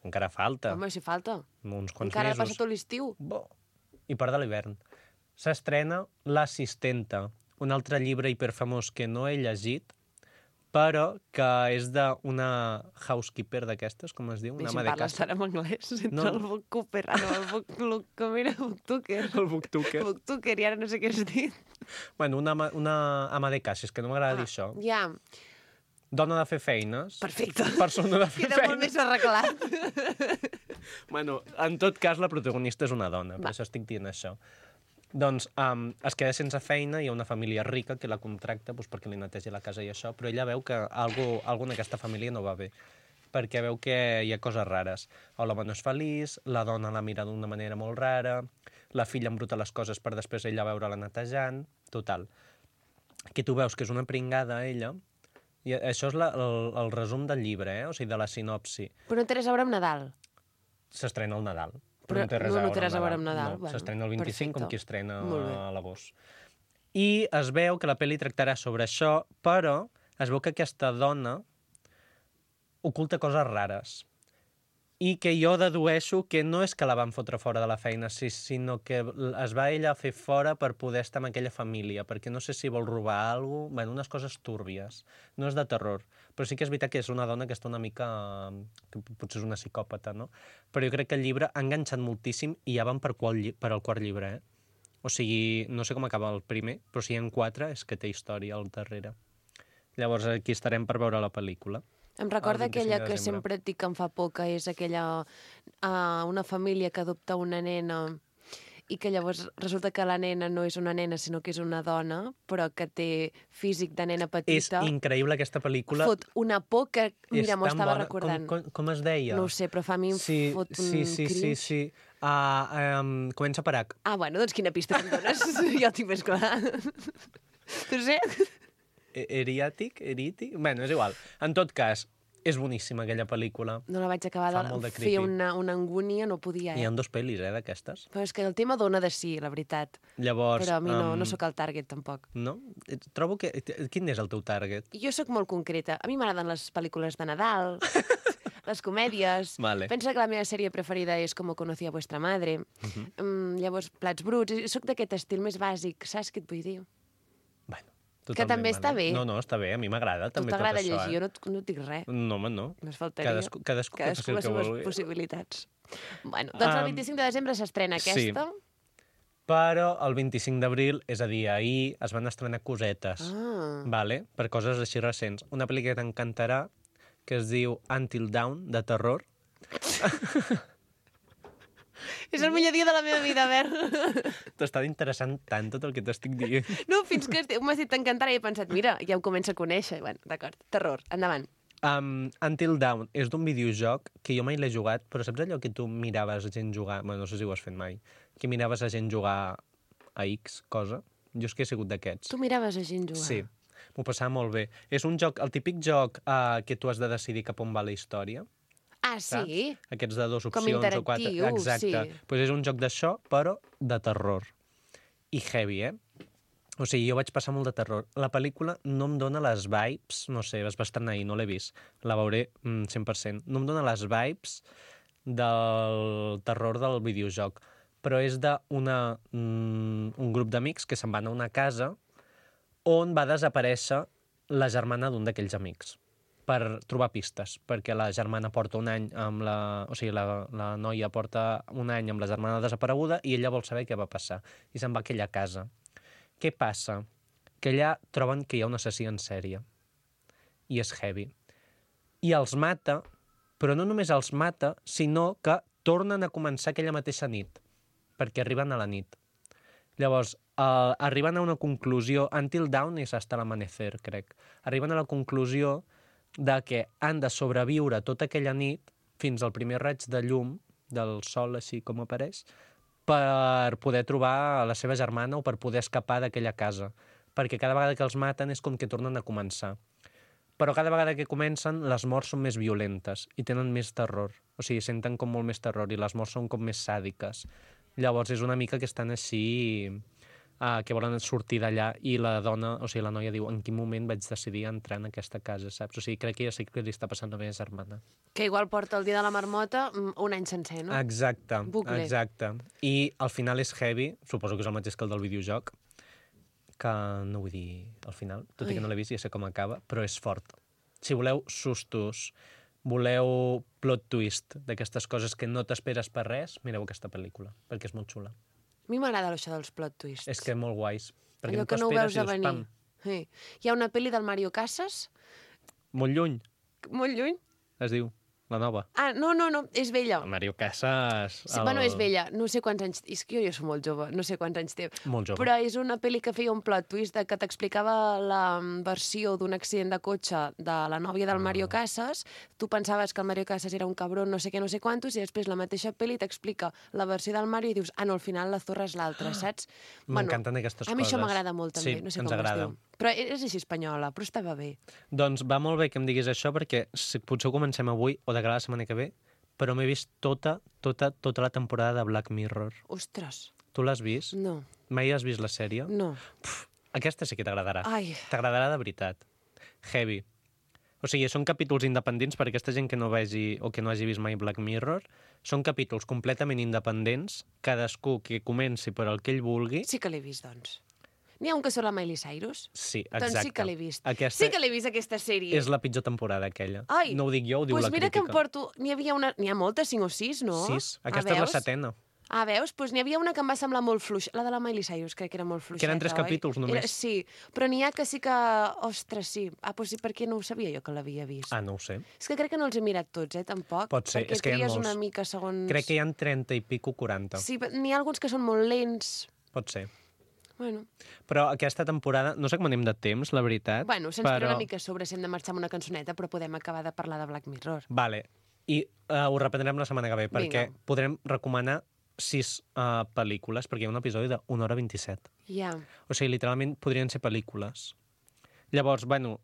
encara falta, Home, si falta. uns quants Encara ha mesos. passat tot l'estiu. Bo. I part de l'hivern. S'estrena L'assistenta, un altre llibre hiperfamós que no he llegit, però que és d'una housekeeper d'aquestes, com es diu, una Si ama de parles casa. ara en anglès, entre No. el bookkeeper, com era? Booktucker. El booktucker. Booktucker, i ara no sé què has dit. Bueno, una ama de casa, és que no m'agrada dir això. Ja, Dona de fer feines. perfecte. Persona de fer Queda molt feines. més arreglat. Bueno, en tot cas, la protagonista és una dona, per Va. això estic dient això. Doncs es queda sense feina, hi ha una família rica que la contracta doncs, perquè li netegi la casa i això, però ella veu que algú en aquesta família no va bé, perquè veu que hi ha coses rares. L'home no és feliç, la dona la mira d'una manera molt rara, la filla embruta les coses per després ella veure-la netejant, total. Aquí tu veus que és una pringada, ella, i això és el resum del llibre, o sigui, de la sinopsi. Però no té res a veure amb Nadal. S'estrena al Nadal. Però no té res no té res a veure amb Nadal. No, Bueno, s'estrena el 25 com perfecte. qui estrena Molt bé. a l'agost. I es veu que la pel·li tractarà sobre això, però es veu que aquesta dona oculta coses rares. I que jo dedueixo que no és que la van fotre fora de la feina, sinó que es va ella a fer fora per poder estar amb aquella família, perquè no sé si vol robar alguna cosa, bueno, unes coses túrbies. No és de terror, però sí que és veritat que és una dona que està una mica... que potser és una psicòpata, no? Però jo crec que el llibre ha enganxat moltíssim i ja van per al quart llibre, eh? O sigui, no sé com acaba el primer, però si hi ha 4 és que té història al darrere. Llavors aquí estarem per veure la pel·lícula. Em recorda El 25 aquella de que desembre. sempre et dic que em fa por, que és aquella... una família que adopta una nena i que llavors resulta que la nena no és una nena, sinó que és una dona, però que té físic de nena És petita. increïble aquesta pel·lícula. Fot una por que, mira, És m'ho tan estava bona. recordant. Com es deia? No ho sé, però fa a mi em fot un cringe. Sí. Comença per H. Bueno, doncs quina pista que em dones? Ja ho tinc més clar. Tu sé? Erític? Bueno, és igual. En tot cas, és boníssima aquella pel·lícula. No la vaig acabar Fa molt de de creepy. fer una angúnia, no podia, Hi ha 2 pel·lis, d'aquestes. Però és que el tema dona de sí, la veritat. Llavors... Però a mi no sóc el target, tampoc. No? Trobo que... Quin és el teu target? Jo sóc molt concreta. A mi m'agraden les pel·lícules de Nadal, les comèdies. Vale. Pensa que la meva sèrie preferida és Com conocí a vuestra madre. Llavors, Plats bruts. Sóc d'aquest estil més bàsic, saps què et vull dir? Bueno, Que també està bé. No, està bé, a mi m'agrada Tu també tot t'agrada això. llegir, jo no et dic res. No, home, no. Només faltaria. Cadascú que faci el les que seves vulgui. possibilitats. Bueno, doncs el 25 de desembre s'estrena aquesta. Però el 25 d'abril, és a dir, ahir, es van estrenar cosetes. Vale? Per coses així recents. Una pel·lícula que t'encantarà, que es diu Until Dawn, de terror. És el millor dia de la meva vida, a veure. T'està interessant tant tot el que t'estic dient. No, fins que m'has dit t'encantarà i he pensat, mira, ja ho començo a conèixer. Bueno, d'acord, terror, endavant. Until Dawn és d'un videojoc que jo mai l'he jugat, però saps allò que tu miraves gent jugar... Bueno, no sé si ho has fet mai. Que miraves a gent jugar a X cosa? Jo és que he sigut d'aquests. Tu miraves a gent jugar? Sí, m'ho passava molt bé. És un joc, el típic joc que tu has de decidir cap on va la història. Ah, sí? Saps? Aquests de 2 Com opcions o 4. interactiu, Exacte. sí. Pues és un joc d'això, però de terror. I heavy, O sigui, jo vaig passar molt de terror. La pel·lícula no em dona les vibes, no sé, es va estrenar ahir, no l'he vist, la veuré 100%. No em dona les vibes del terror del videojoc, però és d'un grup d'amics que se'n van a una casa on va desaparèixer la germana d'un d'aquells amics per trobar pistes, perquè la germana porta un any amb la... O sigui, la noia porta un any amb la germana desapareguda i ella vol saber què va passar. I se'n va a aquella casa. Què passa? Que allà troben que hi ha un assassí en sèrie. I és heavy. I els mata, però no només els mata, sinó que tornen a començar aquella mateixa nit, perquè arriben a la nit. Llavors, arriben a una conclusió... Until Dawn és hasta l'amanecer, crec. Arriben a la conclusió de que han de sobreviure tota aquella nit fins al primer raig de llum del sol, així com apareix, per poder trobar la seva germana o per poder escapar d'aquella casa. Perquè cada vegada que els maten és com que tornen a començar. Però cada vegada que comencen, les morts són més violentes i tenen més terror. O sigui, senten com molt més terror i les morts són com més sàdiques. Llavors és una mica que estan així... que volen sortir d'allà i la dona, o sigui, la noia diu en quin moment vaig decidir entrar en aquesta casa, saps? O sigui, crec que ja sé que li està passant a la meva germana. Que igual porta el dia de la marmota un any sencer, no? Exacte, Bucle. exacte. I al final és heavy, suposo que és el mateix que el del videojoc, que no vull dir al final, tot i que no l'he vist, ja sé com acaba, però és fort. Si voleu sustos, voleu plot twist d'aquestes coses que no t'esperes per res, mireu aquesta pel·lícula, perquè és molt xula. A mi m'agrada això dels plot twists. És que molt guais. Perquè allò no que no ho t'esperes veus i a dius, venir. pam, Sí. Hi ha una pel·li del Mario Casas, molt lluny, molt lluny. es diu, la nova. Ah, no, és vella. El Mario Casas... Sí, bueno, és vella, no sé quants anys... És que jo soc molt jove, no sé quants anys té. Molt jove. Però és una pel·li que feia un plot twist de que t'explicava la versió d'un accident de cotxe de la nòvia del Mario Casas. Tu pensaves que el Mario Casas era un cabrón, no sé què, no sé quantos, i després la mateixa pel·li t'explica la versió del Mario i dius, no, al final la zorra és l'altra, saps? M'encanten aquestes coses. A mi això m'agrada molt, també, Sí, no sé ens com agrada. es diu. Però és així espanyola, però estava bé. Doncs va molt bé que em diguis això, perquè potser ho comencem avui o de cara a la setmana que ve, però m'he vist tota la temporada de Black Mirror. Ostres, Tu l'has vist? no, Mai has vist la sèrie? no. Aquesta sí que t'agradarà. Ai. T'agradarà de veritat. Heavy. O sigui, són capítols independents per a aquesta gent que no vegi o que no hagi vist mai Black Mirror. Són capítols completament independents, cadascú que comenci per el que ell vulgui. Sí que l'he vist, doncs. N'hi ha un que surt la Miley Cyrus? Sí, exacte. Doncs sí que l'he vist. Aquesta Sí que l'he vist, aquesta sèrie. és la pitjor temporada, aquella. Ai, No ho dic jo, ho diu pues la mira crítica. que em porto... N'hi ha moltes, 5 o 6, no? 6. Ah, Aquesta és la veus? setena. Ah, veus? Doncs n'hi havia una que em va semblar molt fluixa. La de la Miley Cyrus, crec que era molt fluixeta, Que eren 3 oi? capítols només. Sí, però n'hi ha que sí que... Ostres, sí. Ah, doncs sí, perquè no ho sabia jo que l'havia vist. Ah, no ho sé. És que crec que no els he mirat tots, tampoc. Pot ser, perquè és que hi ha tries molts. una mica segons... Crec que hi ha 30 i pico 40. Sí, però n'hi ha alguns que són molt lents. Pot ser. Bueno, Però aquesta temporada, no sé com anem de temps, la veritat. se'ns tira una mica a sobre si hem de marxar amb una cançoneta, però podem acabar de parlar de Black Mirror. Vale. I ho reprendrem la setmana que ve, perquè Vinga. podrem recomanar 6 pel·lícules, perquè hi ha un episodi de 1 hora 27. Ja. O sigui, literalment podrien ser pel·lícules. Llavors, bueno,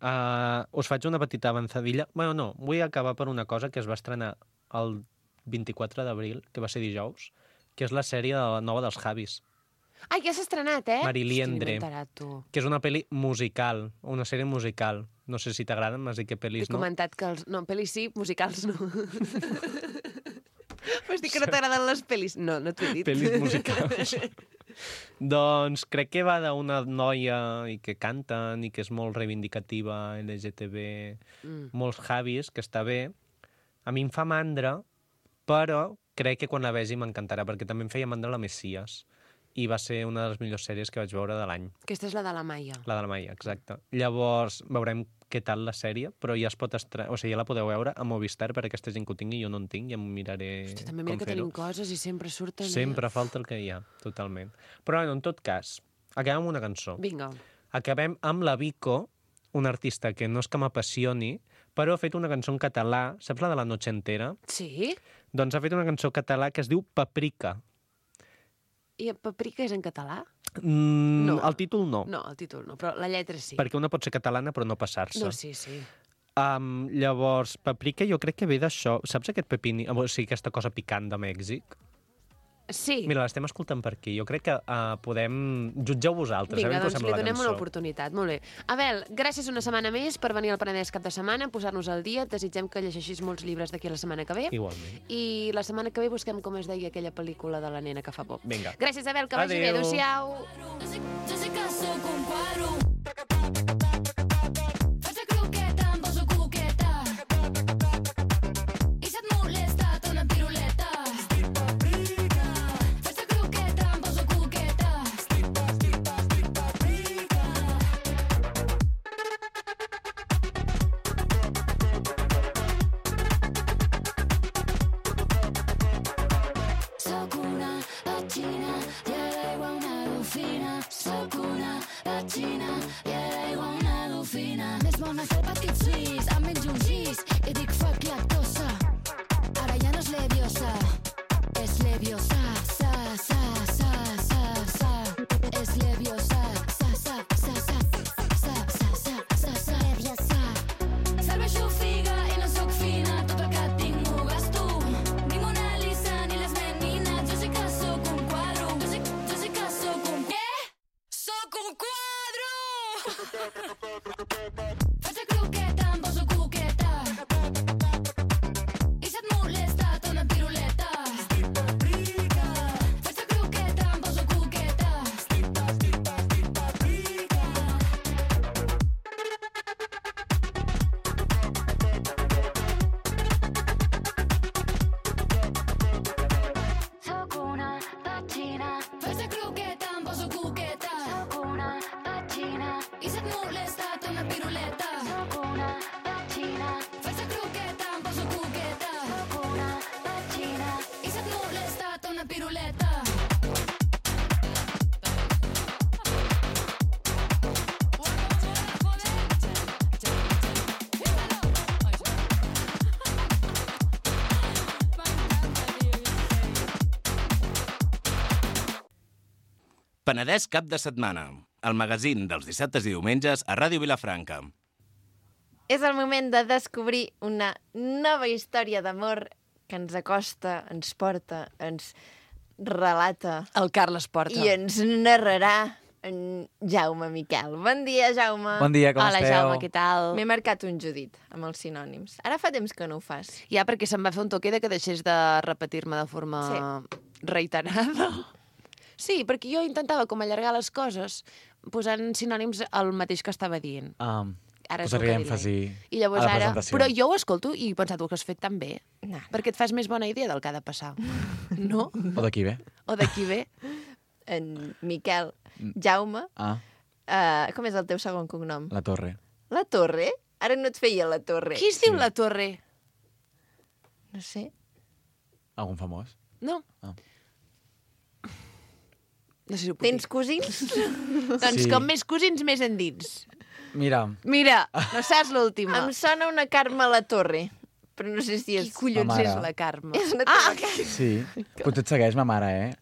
us faig una petita avançadilla. Bueno, no, vull acabar per una cosa que es va estrenar el 24 d'abril, que va ser dijous, que és la sèrie nova dels Javis, Ai, que s'ha estrenat, eh? Mariliendre, Hosti, m'he enterat, tu. que és una pel·li musical, una sèrie musical. No sé si t'agraden, m'has dit que He pel·lis no. comentat que els... No, pel·lis sí, musicals no. Vas dir que no t'agraden les pel·lis? No, no t'ho he dit. Pel·lis musicals. Doncs crec que va d'una noia i que canten i que és molt reivindicativa, LGTB, molts Javis, que està bé. A mi em fa mandra, però crec que quan la vegi m'encantarà, perquè també em feia mandra la Messias. I va ser una de les millors sèries que vaig veure de l'any. Aquesta és la de la Maia. La de la Maia, exacte. Llavors veurem què tal la sèrie, però ja es pot o sigui, ja la podeu veure a Movistar per a aquesta gent que ho tingui, jo no en tinc, ja m'ho miraré Hosti, també mira com que fer-ho. tenim coses i sempre surten... Sempre falta el que hi ha, totalment. Però bueno, en tot cas, acabem amb una cançó. Vinga. Acabem amb la Vico, una artista que no és que m'apassioni, però ha fet una cançó en català, saps la de La noche entera? Sí? Doncs ha fet una cançó en català que es diu Paprika. I Paprika és en català? No. El títol no, No, el títol no, però la lletra sí. perquè una pot ser catalana però no passar-se. No, sí, sí. Llavors, Paprika jo crec que ve d'això. Saps aquest pepini, o sigui, aquesta cosa picant de Mèxic? Sí. Mira, l'estem escoltant per aquí. Jo crec que podem... Jutgeu vosaltres, Vinga, a veure què us doncs sembla li la donem cançó. una oportunitat. Molt bé. Abel, gràcies una setmana més per venir al Penedès cap de setmana, posar-nos al dia. Et desitgem que llegeixis molts llibres d'aquí a la setmana que ve. Igualment. I la setmana que ve busquem com es deia aquella pel·lícula de la nena que fa por. Vinga. Gràcies, Abel, que vagi bé. Adéu. Adéu-siau. Yo se caso con cuadro. Faccia croqueta, un poso cuqueta. I se et molesta, té una piruleta. Faccia croqueta, un poso cuqueta. Soc una petxina i a l'aigua una dofina. Soc una petxina i a l'aigua una dofina. Més bona que el petit suís, em menjo un gis i dic fuck lactosa. Ara ja no és leviosa, és leviosa. Sa, sa, sa, sa, sa. És leviosa. Sa, sa, sa, sa. Sa, sa, sa, sa, sa. Leviosa. Serveixo figa i no soc fina, tot el que tinc ho gasto. Ni Mona Lisa ni les meninas, yo sé que soc un cuadro. Yo sé que soc un... ¿Qué? ¡Soc un cuadro! Faccia croqueta, em poso cuqueta. I si et molesta, té una piruleta. Faccia croqueta, em poso cuqueta. Soc una petxina. Faccia croqueta, em poso cuqueta. Soc una petxina. I si et molesta, té una piruleta. Soc una petxina. Faccia croqueta, em poso cuqueta. Soc una petxina. I si et molesta, té una piruleta. Penedès cap de setmana, el magazín dels dissabtes i diumenges a Ràdio Vilafranca. És el moment de descobrir una nova història d'amor que ens acosta, ens porta, ens relata El Carles Porta. i ens narrarà en Jaume Miquel. Bon dia, Jaume. Bon dia, com Hola, esteu? Jaume, què tal? M'he marcat un Judit amb els sinònims. Ara fa temps que no ho fas. Ja, perquè se'm va fer un toque de que deixés de repetir-me de forma reiterada. Sí, perquè jo intentava com allargar les coses posant sinònims al mateix que estava dient. Ara és el Posaré que èmfasi I llavors a la ara... presentació. Però jo ho escolto i he pensat que ho has fet tan bé. No. Perquè et fas més bona idea del que ha de passar. No? O d'aquí ve? O d'aquí ve. En Miquel. Jaume. Com és el teu segon cognom? La Torre. La Torre? Ara no et feia la Torre. Qui es diu la Torre? No sé. Algun famós? No. No sé si ho puc Tens dir. cosins? Doncs Sí. com més cosins, més endins. Mira, Mira, no saps l'última. Em sona una Carme La Torre, però no sé si Qui és... collons Ma mare. és la Carme? És la teva sí. Potser et segueix ma mare,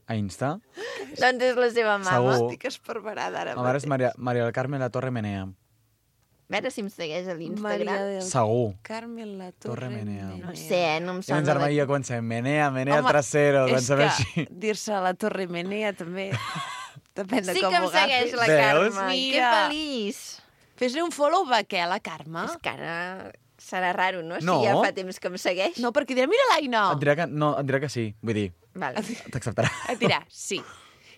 A Insta. Doncs és la seva mama. Segur. Estic esperberada ara. Ma mare és Maria del Carmen La Torre Menea. A veure si em segueix a Maria l'Instagram. del Segur. Carmen La Torre Torre Menea. No sé, no em I mon sona. germà i jo comencem Menea trasero, és doncs a veure que si... dir-se la Torre Menea també depèn de Sí com que ho em segueix agafis. la Veus? Carme. Que Mira. feliç. Fes-li un follow a què, la Carme? És que ara serà raro, no? No. Si ja fa temps que em segueix. No, perquè dirà, mira l'Aina. Et dirà que sí. Vull dir, Vale, t'acceptarà. Et dirà, sí.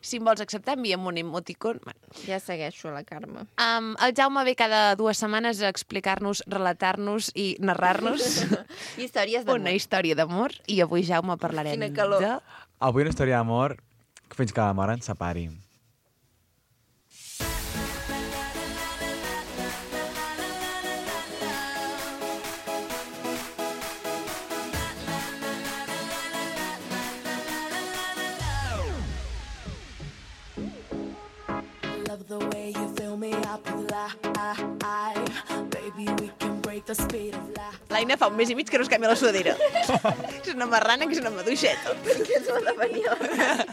Si em vols acceptar, envia'm un emoticon. Bueno, ja segueixo la Carme. el Jaume ve cada 2 setmanes a explicar-nos, relatar-nos i narrar-nos Històries d'amor. una història d'amor. I avui, Jaume, parlarem Quina calor. de... Avui una història d'amor fins que la mort ens separi. Love the way you fill me up with life. Baby, we can break the L'Aina fa un mes i mig que no es canvia la sudadera. És una marrana que és una maduixeta. Que és la de venir a la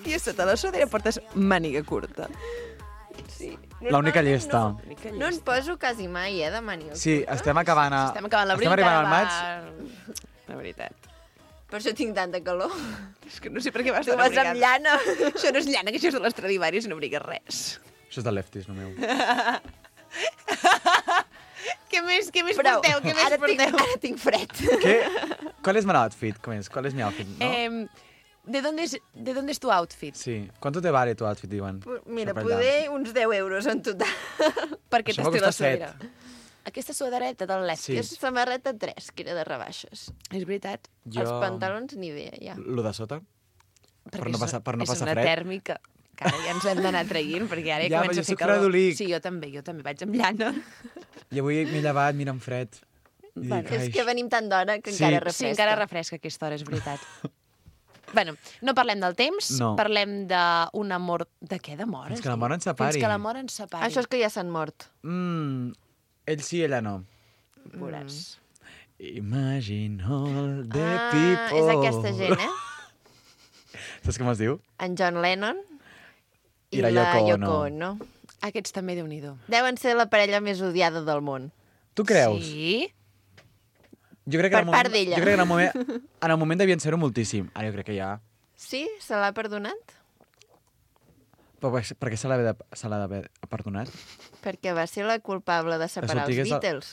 I a sota la sudadera portes màniga curta. Sí. L'única llesta. No en poso quasi mai, de màniga. Sí, estem acabant Estem acabant l'abril. Estem arribant al maig. La veritat. Per això tinc tanta calor. És que no sé per què vas Tu tan vas abrigada. amb llana. Això no és llana, que això és de l'Estradivarius i no abriga res. Això és de lefties, no meu. Què més Prou. porteu? Què més Ara porteu? tinc fred. ¿Qué? ¿Cuál es mi outfit? ¿Cuál es mi outfit? ¿No? ¿De dónde es tu outfit? Sí. ¿Cuánto te vale tu outfit, Ivan? Mira, Això per allà. poder uns 10 euros en total. Per què Això t'has m'ha tret la costat set. sudadera? Aquesta sudadereta del Lefty. Sí. És samarreta 3, que era de rebaixes. És veritat. Els pantalons ni idea, ja. Lo de sota? Perquè no passar- per no passar És una fred. tèrmica. Que ara ja ens hem d'anar traient, perquè ara ja, Ja, comença però a jo fer soc calor. fredolic. Sí, jo també vaig amb llana. I avui m'he llevat, mira, amb fred. I Bueno, dic, És ai, que venim tant d'hora que Sí. encara Sí, refresca. encara refresca aquesta hora, és veritat. Bueno, no parlem del temps, No. parlem d'un amor... De què, d'amor? Fins que l'amor ens separi. Fins que l'amor ens separi. Això és que ja s'han mort. Ell sí, ella no. Veuràs. Imagine all the Ah, people. és aquesta gent, Saps com es diu? En John Lennon I la Yoko Ono. Ono. Aquests també, Déu-n'hi-do. Deuen ser la parella més odiada del món. Tu creus? Sí? Jo crec que Per en el moment, part d'ella. Jo crec que en el moment devien ser-ho moltíssim. Ara jo crec que ja... Sí? Se l'ha perdonat? Però per què se l'ha d'haver perdonat? Perquè va ser la culpable de separar els sortigués de- Beatles.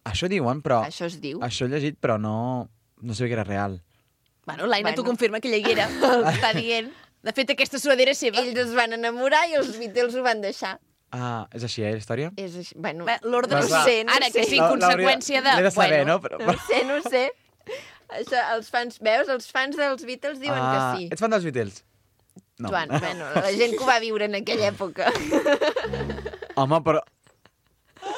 Això diuen, però... Això es diu. Això he llegit, però no sabia que era real. Bueno, l'Aina t'ho Bueno. confirma que ella hi era. Està dient. De fet, aquesta sudadera és seva. Ells es van enamorar i els Beatles ho van deixar. Ah, és així, la història? És així. Bueno, Bé, l'ordre Doncs no va. sé, ara que sí, conseqüència de... L'he de saber, bueno, no? Però... no sé. Això, els fans, veus? Els fans dels Beatles diuen que sí. Ets fan dels Beatles? No. Joan, bueno, la gent que ho va viure en aquella època. Home, però...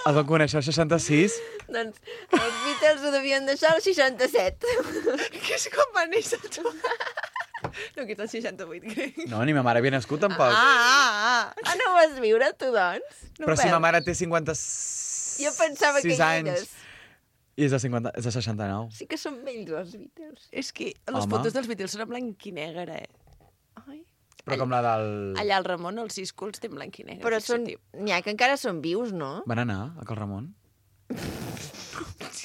Els van conèixer al 66? Doncs els Beatles ho devien deixar al 67. Que és com va néixer tu. No, que és el 68, crec. No, ni ma mare havia nascut, tampoc. Ah, no ho vas viure, tu, doncs? No Però si veus? ma mare té 56 Jo pensava que hi anys eres. i és de 69. Sí que són vells, els Beatles. És que les Home. fotos dels Beatles són en blanc i negre, Ai. Però com la del... Allà el Ramon, els Sisculs, té en blanc i negre. Però fixa't-hi. n'hi ha que encara són vius, no? Van anar a Cal Ramon?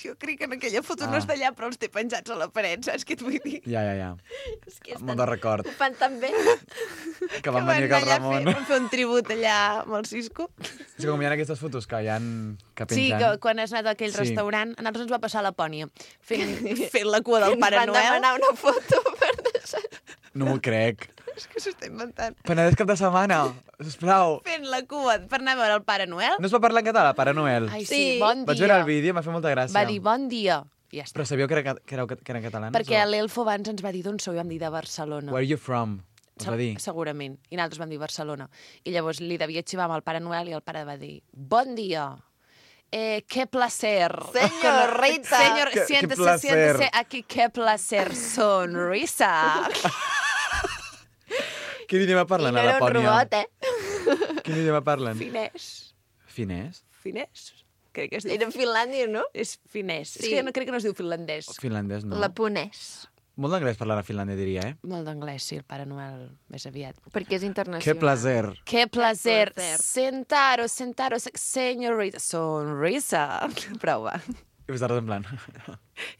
Jo crec que en aquella foto Ah. no és d'allà, però els té penjats a la paret, saps què et vull dir? Ja. És que Molt de record. ho fan tan bé. Que van venir a Cal Ramon. Van fer un tribut allà amb el Cisco. És que com hi ha aquestes fotos que hi ha que Sí, pengen... que quan has anat a aquell Sí. restaurant, a nosaltres ens va passar a Lapònia, fent la cua del Ens Pare van Noel. demanar una foto per deixar... No m'ho crec. És que s'està inventant. Penedès cap de setmana, sisplau. Fent la cua per anar a veure el Pare Noel. No es pot parlar en català, Pare Noel? Ai, sí, Sí. bon dia. Vaig veure el vídeo, m'ha fet molta gràcia. Va dir bon dia. I ja està. Però sabíeu que era en català? Perquè l'Elfo abans ens va dir d'on sou i vam dir de Barcelona. Where are you from? Us va dir. Segurament. I nosaltres vam dir Barcelona. I llavors li devia xivar amb el Pare Noel i el pare va dir bon dia. Qué placer. Senyorita. Señor, Qué siéntese, placer. siéntese aquí, qué placer. Sonrisa. Quin idioma I parlen no a era un Lapònia? robot, Quin idioma parlen? Finès. Finès? Finès? Crec que es diu. Era Finlàndia, no? És finès. Sí. És que no crec que no es diu finlandès. Finlandès, no. Laponès. Molt d'anglès parlant a Finlàndia, diria, eh? Molt d'anglès, sí, el Pare Noel més aviat. Perquè és internacional. Que placer. Qué placer. placer. Sentaros, señorita. Sonrisa. Prou, va. I vosaltres en plan...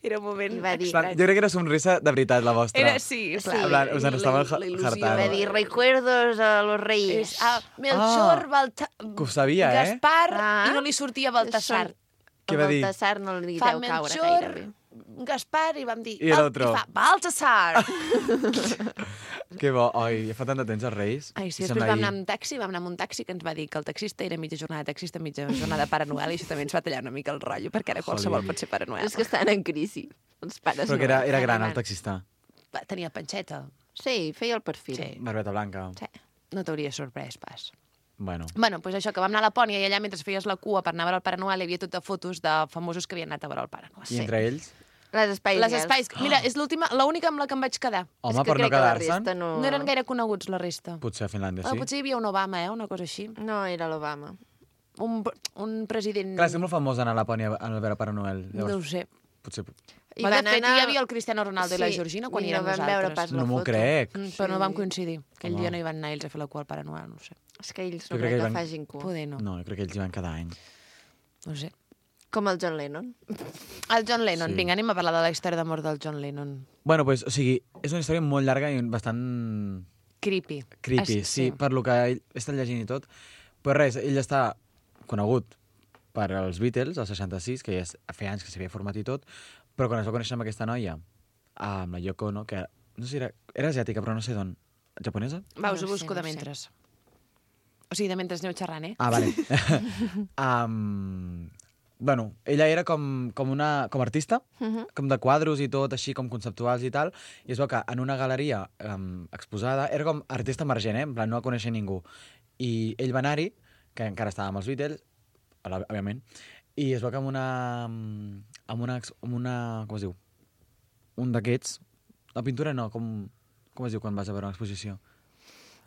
Era un moment I va dir- Jo crec que era somrisa de veritat, la vostra. Era, sí, Sí. clar. En plan, us en estava La il·lusió. hartant. Va dir recuerdos a los reyes. Melchor, Baltasar... Que ho sabia, eh? Gaspar, Ah. i no li sortia Baltasar. Què va dir? Baltasar no li Fa deu caure Melchor, gairebé. Gaspar, i vam dir... I l'altre? I fa Baltasar. Que bo. Ai, ja fa tant de temps els Reis. Ai, sí, I després sembla vam anar ahir. amb taxi, vam anar amb un taxi que ens va dir que el taxista era mitja jornada de taxista, mitja jornada de Pare Noel, i això també ens va tallar una mica el rotllo, perquè ara qualsevol Jolín. pot ser Pare Noel. És que estan en crisi, els pares. Però que era Noel. gran, el taxista. Tenia panxeta. Sí, feia el perfil. Sí. Barbeta blanca. Sí. No t'hauria sorprès pas. Bueno. Bueno, doncs això, que vam anar a Lapònia i allà mentre feies la cua per anar a veure el Pare Noel hi havia tota fotos de famosos que havien anat a veure el Pare Noel. I entre ells? Les Spice Les Girls. espais... Mira, és l'única amb la que em vaig quedar. Home, És que per no crec que la quedar-se'n? resta No eren gaire coneguts, la resta. Potser a Finlàndia, sí. Potser hi havia un Obama, una cosa així. No, era l'Obama. un president... Clar, és que és molt famós anar a Lapònia a veure Pare Noel. No ho sé. Potser... I De van fet, anar- hi havia el Cristiano Ronaldo i la Georgina quan i hi érem no vam veure nosaltres. pas la No m'ho foto. crec. Però no vam coincidir. Aquell Home. dia no hi van anar ells a fer la cua al Pare Noel, no ho sé. És que ells Jo no crec crec que que van- facin cua. Poder no. No, jo crec que ells hi van cada any. No ho sé. Com el John Lennon. El John Lennon. Sí. Vinga, anem a parlar de la història d'amor del John Lennon. Bueno, pues, o sigui, és una història molt llarga i bastant Creepy. creepy, sí, per lo que ell he estat llegint i tot. Però res, ell està conegut per als Beatles, el 66, que ja feia anys que s'havia format i tot, però quan es va conèixer amb aquesta noia, amb la Yoko Ono, que no sé si era asiàtica, però no sé d'on. Japonesa? Va, No us ho sé, busco de no sé. mentres. O sigui, de mentre aneu xerrant, eh? Ah, vale. Bueno, ella era com artista, com de quadros i tot, així com conceptuals i tal, i es veu que en una galeria exposada era com artista emergent, en plan, no la coneixia ningú. I ell va anar-hi, que encara estava amb els Beatles, òbviament, i es veu que amb una com es diu? Un d'aquests, la pintura no, com es diu quan vas a veure una exposició?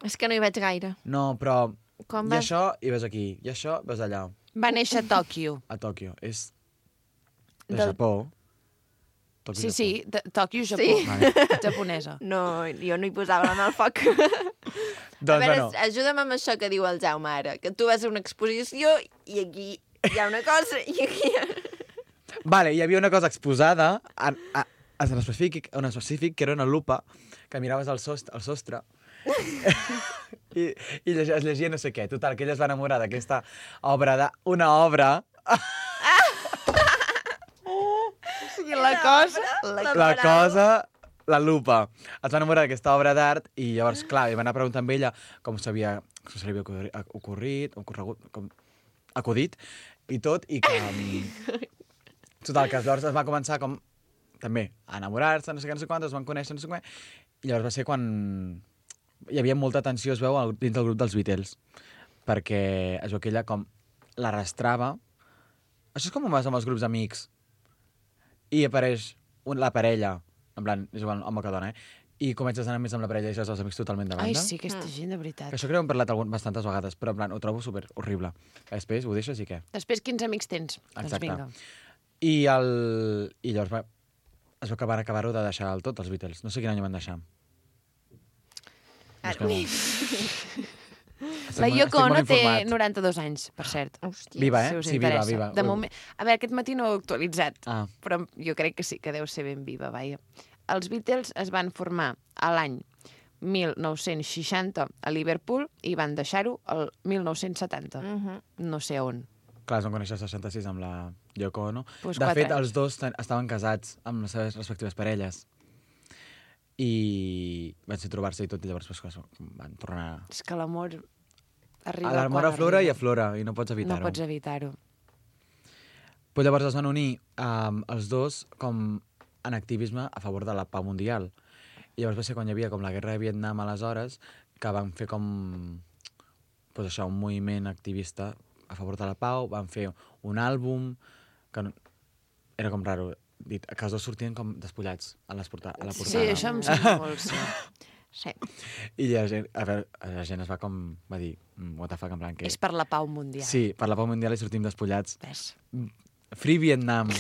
És que no hi vaig gaire. No, però Quan i vas... això i ves aquí, i això ves allà, Va néixer a Tòquio. a Tòquio. És de Del- Japó. Tòquio, Sí, sí, Tòquio, Japó. Sí. Vale. Japonesa. No, jo no hi posava la mà al foc. Doncs, A veure, bueno, ajuda'm amb això que diu el Jaume ara, que tu vas a una exposició i aquí hi ha una cosa i aquí... vale, hi havia una cosa exposada en específic, que era una lupa, que miraves al sostre i es llegia no sé què. Total, que ella es va enamorar d'aquesta obra, una obra, I la cosa... la cosa, la lupa. Es va enamorar d'aquesta obra d'art i llavors, clar, li va anar a preguntar amb ella com se li havia acudit i tot, i que... Total, que llavors es va començar com també a enamorar-se, no sé què, no sé quantes, es van conèixer, no sé què, i llavors va ser quan hi havia molta tensió, es veu, dins del grup dels Beatles, perquè es veu que ella com l'arrastrava. Això és com ho vas amb els grups d'amics, i apareix la parella, en plan, és igual, home que dona, i comences a anar més amb la parella i deixes els amics totalment de banda. Ai, sí, aquesta gent, de veritat. Que això crec que hem parlat bastantes vegades, però en plan, ho trobo super horrible. Després ho deixes i què? Després, quins amics tens? Doncs Exacte. vinga. I llavors es veu que van acabar-ho de deixar el tot, els Beatles. No sé quin any ho van deixar. Ara, Busquem-ho. La Yoko Ono té informat. 92 anys, per cert. hòstia. Viva, Si eh? us Sí, viva, interessa. viva. De moment... A veure, aquest matí no ho he actualitzat, Ah, però jo crec que sí, que deu ser ben viva, vaja. Els Beatles es van formar a l'any 1960 a Liverpool i van deixar-ho el 1970. No sé on. clar, es van conèixer al 66 amb la Yoko Ono. Pues de 4 fet, anys. els dos estaven casats amb les seves respectives parelles. I van ser trobar-se i tot, i llavors pues, van tornar... És que l'amor arriba L'amor quan aflora i arriba. aflora, i no pots evitar-ho. No pots evitar-ho. Pues llavors es van unir els dos com en activisme a favor de la pau mundial. I llavors va ser quan hi havia com la guerra de Vietnam aleshores que van fer com pues això, un moviment activista a favor de la pau, van fer un àlbum que era com raro, dit, que els dos sortien com despullats a la portada. Sí, això em sembla molt, sí. Sí. I la gent, la gent es va com, va dir, what the fuck, en plan que... És per la pau mundial. Sí, per la pau mundial i sortim despullats. Ves. Free Vietnam.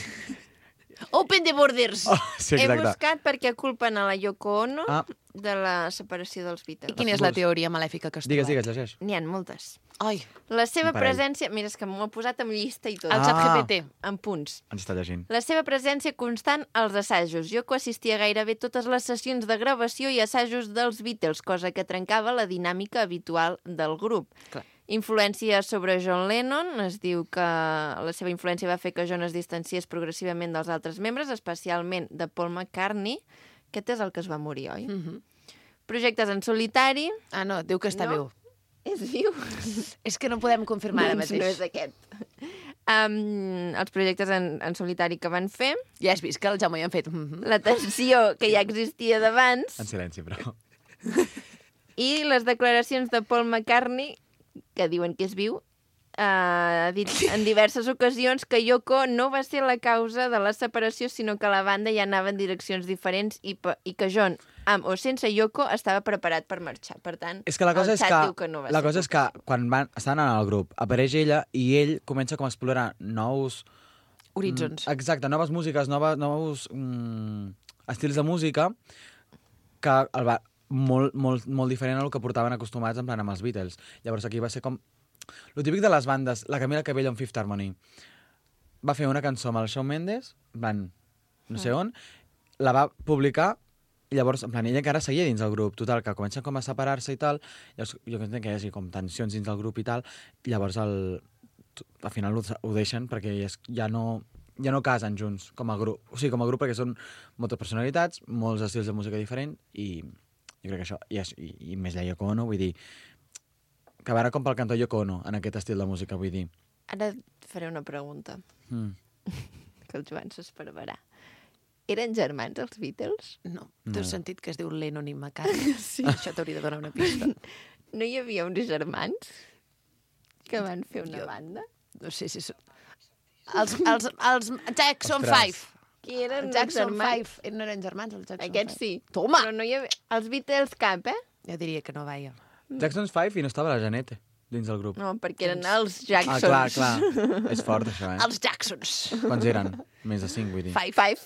Open the borders! Oh, sí, He exacte. buscat per què culpen a la Yoko Ono Ah. de la separació dels Beatles. I quina és la teoria malèfica que has Digues, trobat? llegeix. N'hi ha moltes. Ai, La seva Un parell. presència... Mira, és que m'ho ha posat amb llista i tot. el Ah. xat GPT. En punts. Ens està llegint. La seva presència constant als assajos. Yoko assistia gairebé totes les sessions de gravació i assajos dels Beatles, cosa que trencava la dinàmica habitual del grup. Clar. Influència sobre John Lennon. Es diu que la seva influència va fer que John es distanciés progressivament dels altres membres, especialment de Paul McCartney. Aquest és el que es va morir, oi? Projectes en solitari. Ah, no, diu que està No. viu. És viu? És que no podem confirmar ara Doncs mateix. no és aquest. Els projectes en solitari que van fer, Ja has vist que el Jaume ja han fet... la tensió que ja existia d'abans En silenci, però... i les declaracions de Paul McCartney, que diuen que és viu, ha dit en diverses ocasions que Yoko no va ser la causa de la separació, sinó que la banda ja anava en direccions diferents i que John Amb o sense Yoko, estava preparat per marxar. Per tant, És que la cosa el és xat que, diu que no va la ser cosa és que quan estan en el grup, apareix ella i ell comença com a explorar nous... Horitzons. Exacte, noves músiques, nous estils de música que el va molt diferent a lo que portaven acostumats en plan amb els Beatles. Llavors aquí va ser com... Lo típic de les bandes, la Camila Cabello en Fifth Harmony. Va fer una cançó amb el Shawn Mendes, van no sé on, la va publicar i llavors, en plan, ella encara seguia dins del grup, total, que comencen com a separar-se i tal, llavors jo entenc que hi hagi com tensions dins del grup i tal, i llavors al final ho deixen perquè ja no casen junts com a grup. O sigui, com a grup perquè són moltes personalitats, molts estils de música diferents i jo crec que això, i més la Yoko Ono, vull dir, que a veure com pel cantó Yoko Ono en aquest estil de música, vull dir. Ara et faré una pregunta, que el Joan s'espervarà. Eren germans, els Beatles? No. Tu has sentit que es diu Lennon i McCartney? Sí. Això t'hauria de donar una pista. No hi havia uns germans que van fer una banda? No sé si són... Els Jackson Ostres. 5. Qui eren Els els Jackson germans? 5. No eren germans, els Jackson 5. Aquests sí. Toma! Però no hi havia... Els Beatles cap, Jo diria que no, vaja. Jackson's 5 i no estava la Janete dins del grup. No, perquè eren els Jacksons. Clar. És fort, això, Els Jacksons. Quants eren? Més de 5, vull dir. Five.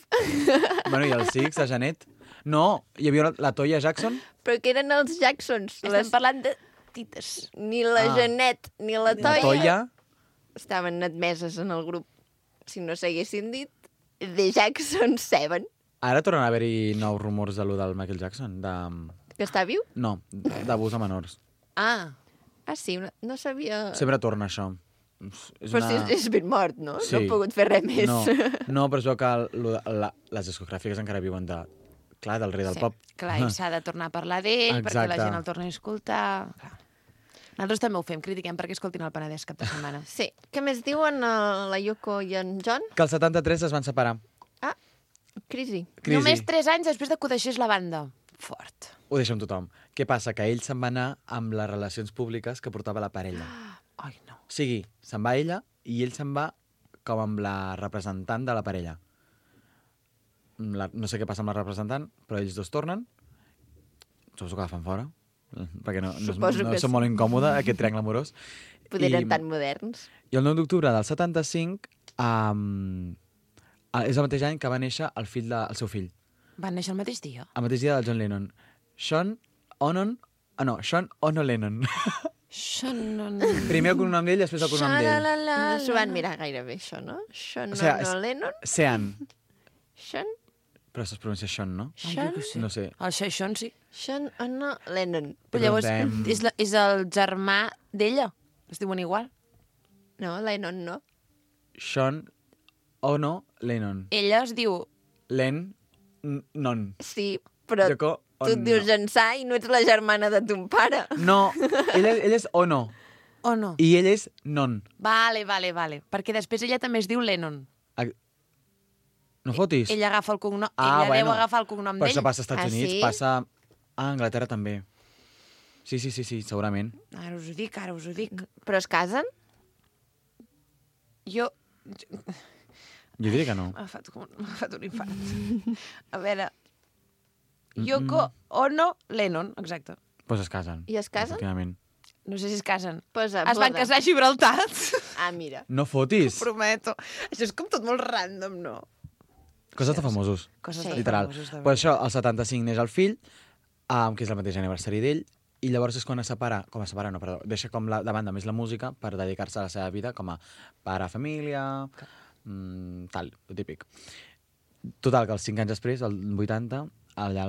Bueno, i els Six, la Janet? No, hi havia la Toya Jackson? Però que eren els Jacksons. Estem parlant de tites. Ni la Janet ni la La Toya Toya? estaven admeses en el grup. Si no s'haguessin dit The Jackson 7. Ara tornen a haver-hi nous rumors de lo del Michael Jackson, Que està viu? No, d'abús a menors. Ah, sí, no sabia... Sempre torna això. Però si és ben mort, no? Sí. No ha pogut fer res més. No, però es veu que les discogràfiques encara viuen del rei del pop. Clar, i s'ha de tornar a parlar d'ell, perquè la Exacte. gent el torni a escoltar. Clar. Nosaltres també ho fem, critiquem perquè escoltin el Penedès cap de setmana. Sí. Què més diuen la Yoko i en John? Que el 73 es van separar. Crisi. Només 3 anys després de que ho deixés la banda. Fort. Ho deixa amb tothom. Què passa? Que ell se'n va anar amb les relacions públiques que portava la parella. Ai, no. O sigui, se'n va ella i ell se'n va com amb la representant de la parella. No sé què passa amb la representant, però ells dos tornen. Suposo que la fan fora, perquè no és molt incòmode, aquest triangle amorós. Poder eren tan moderns. I el 9 d'octubre del 75 és el mateix any que va néixer el seu fill. Van néixer el mateix dia? El mateix dia del John Lennon. Sean Ono Lennon. Primer el cognom d'ell i després el cognom d'ell. No s'ho van mirar gaire bé, això, no? Sean Ono Lennon? Sean. Sean? Però això es pronuncia Sean, no? Sean? No sé. El Sean sí. Sean Ono Lennon. Però llavors és el germà d'ella. Es diuen igual. No, Lennon no. Sean Ono Lennon. Ella es diu... Non. Sí, però Yoko tu et dius Ençà i no ets la germana de ton pare. No, ell és Ono. Ono. I ell és Non. Vale. Perquè després ella també es diu Lennon. No fotis? Ella agafa el cognom... Ella deu agafar el cognom Però d'ell. això passa als Estats Units, sí? passa a Anglaterra també. Sí, segurament. Ara us ho dic. Però es casen? Jo diria que no. m'ha fet un infart. A veure... Yoko Ono Lennon, exacte. Pues es casen. I es casen? Efectivament. No sé si es casen. Posa Es van casar a Gibraltar. Ah, mira. No fotis. Prometo. Això és com tot molt random, no? Coses de famosos. Coses de literal. famosos, de Pues això, el 75 neix el fill, que és el mateix aniversari d'ell, i llavors és quan deixa com de banda més la música per dedicar-se a la seva vida com a pare, família, tal, el típic. Total, que els 5 anys després, el 80, allà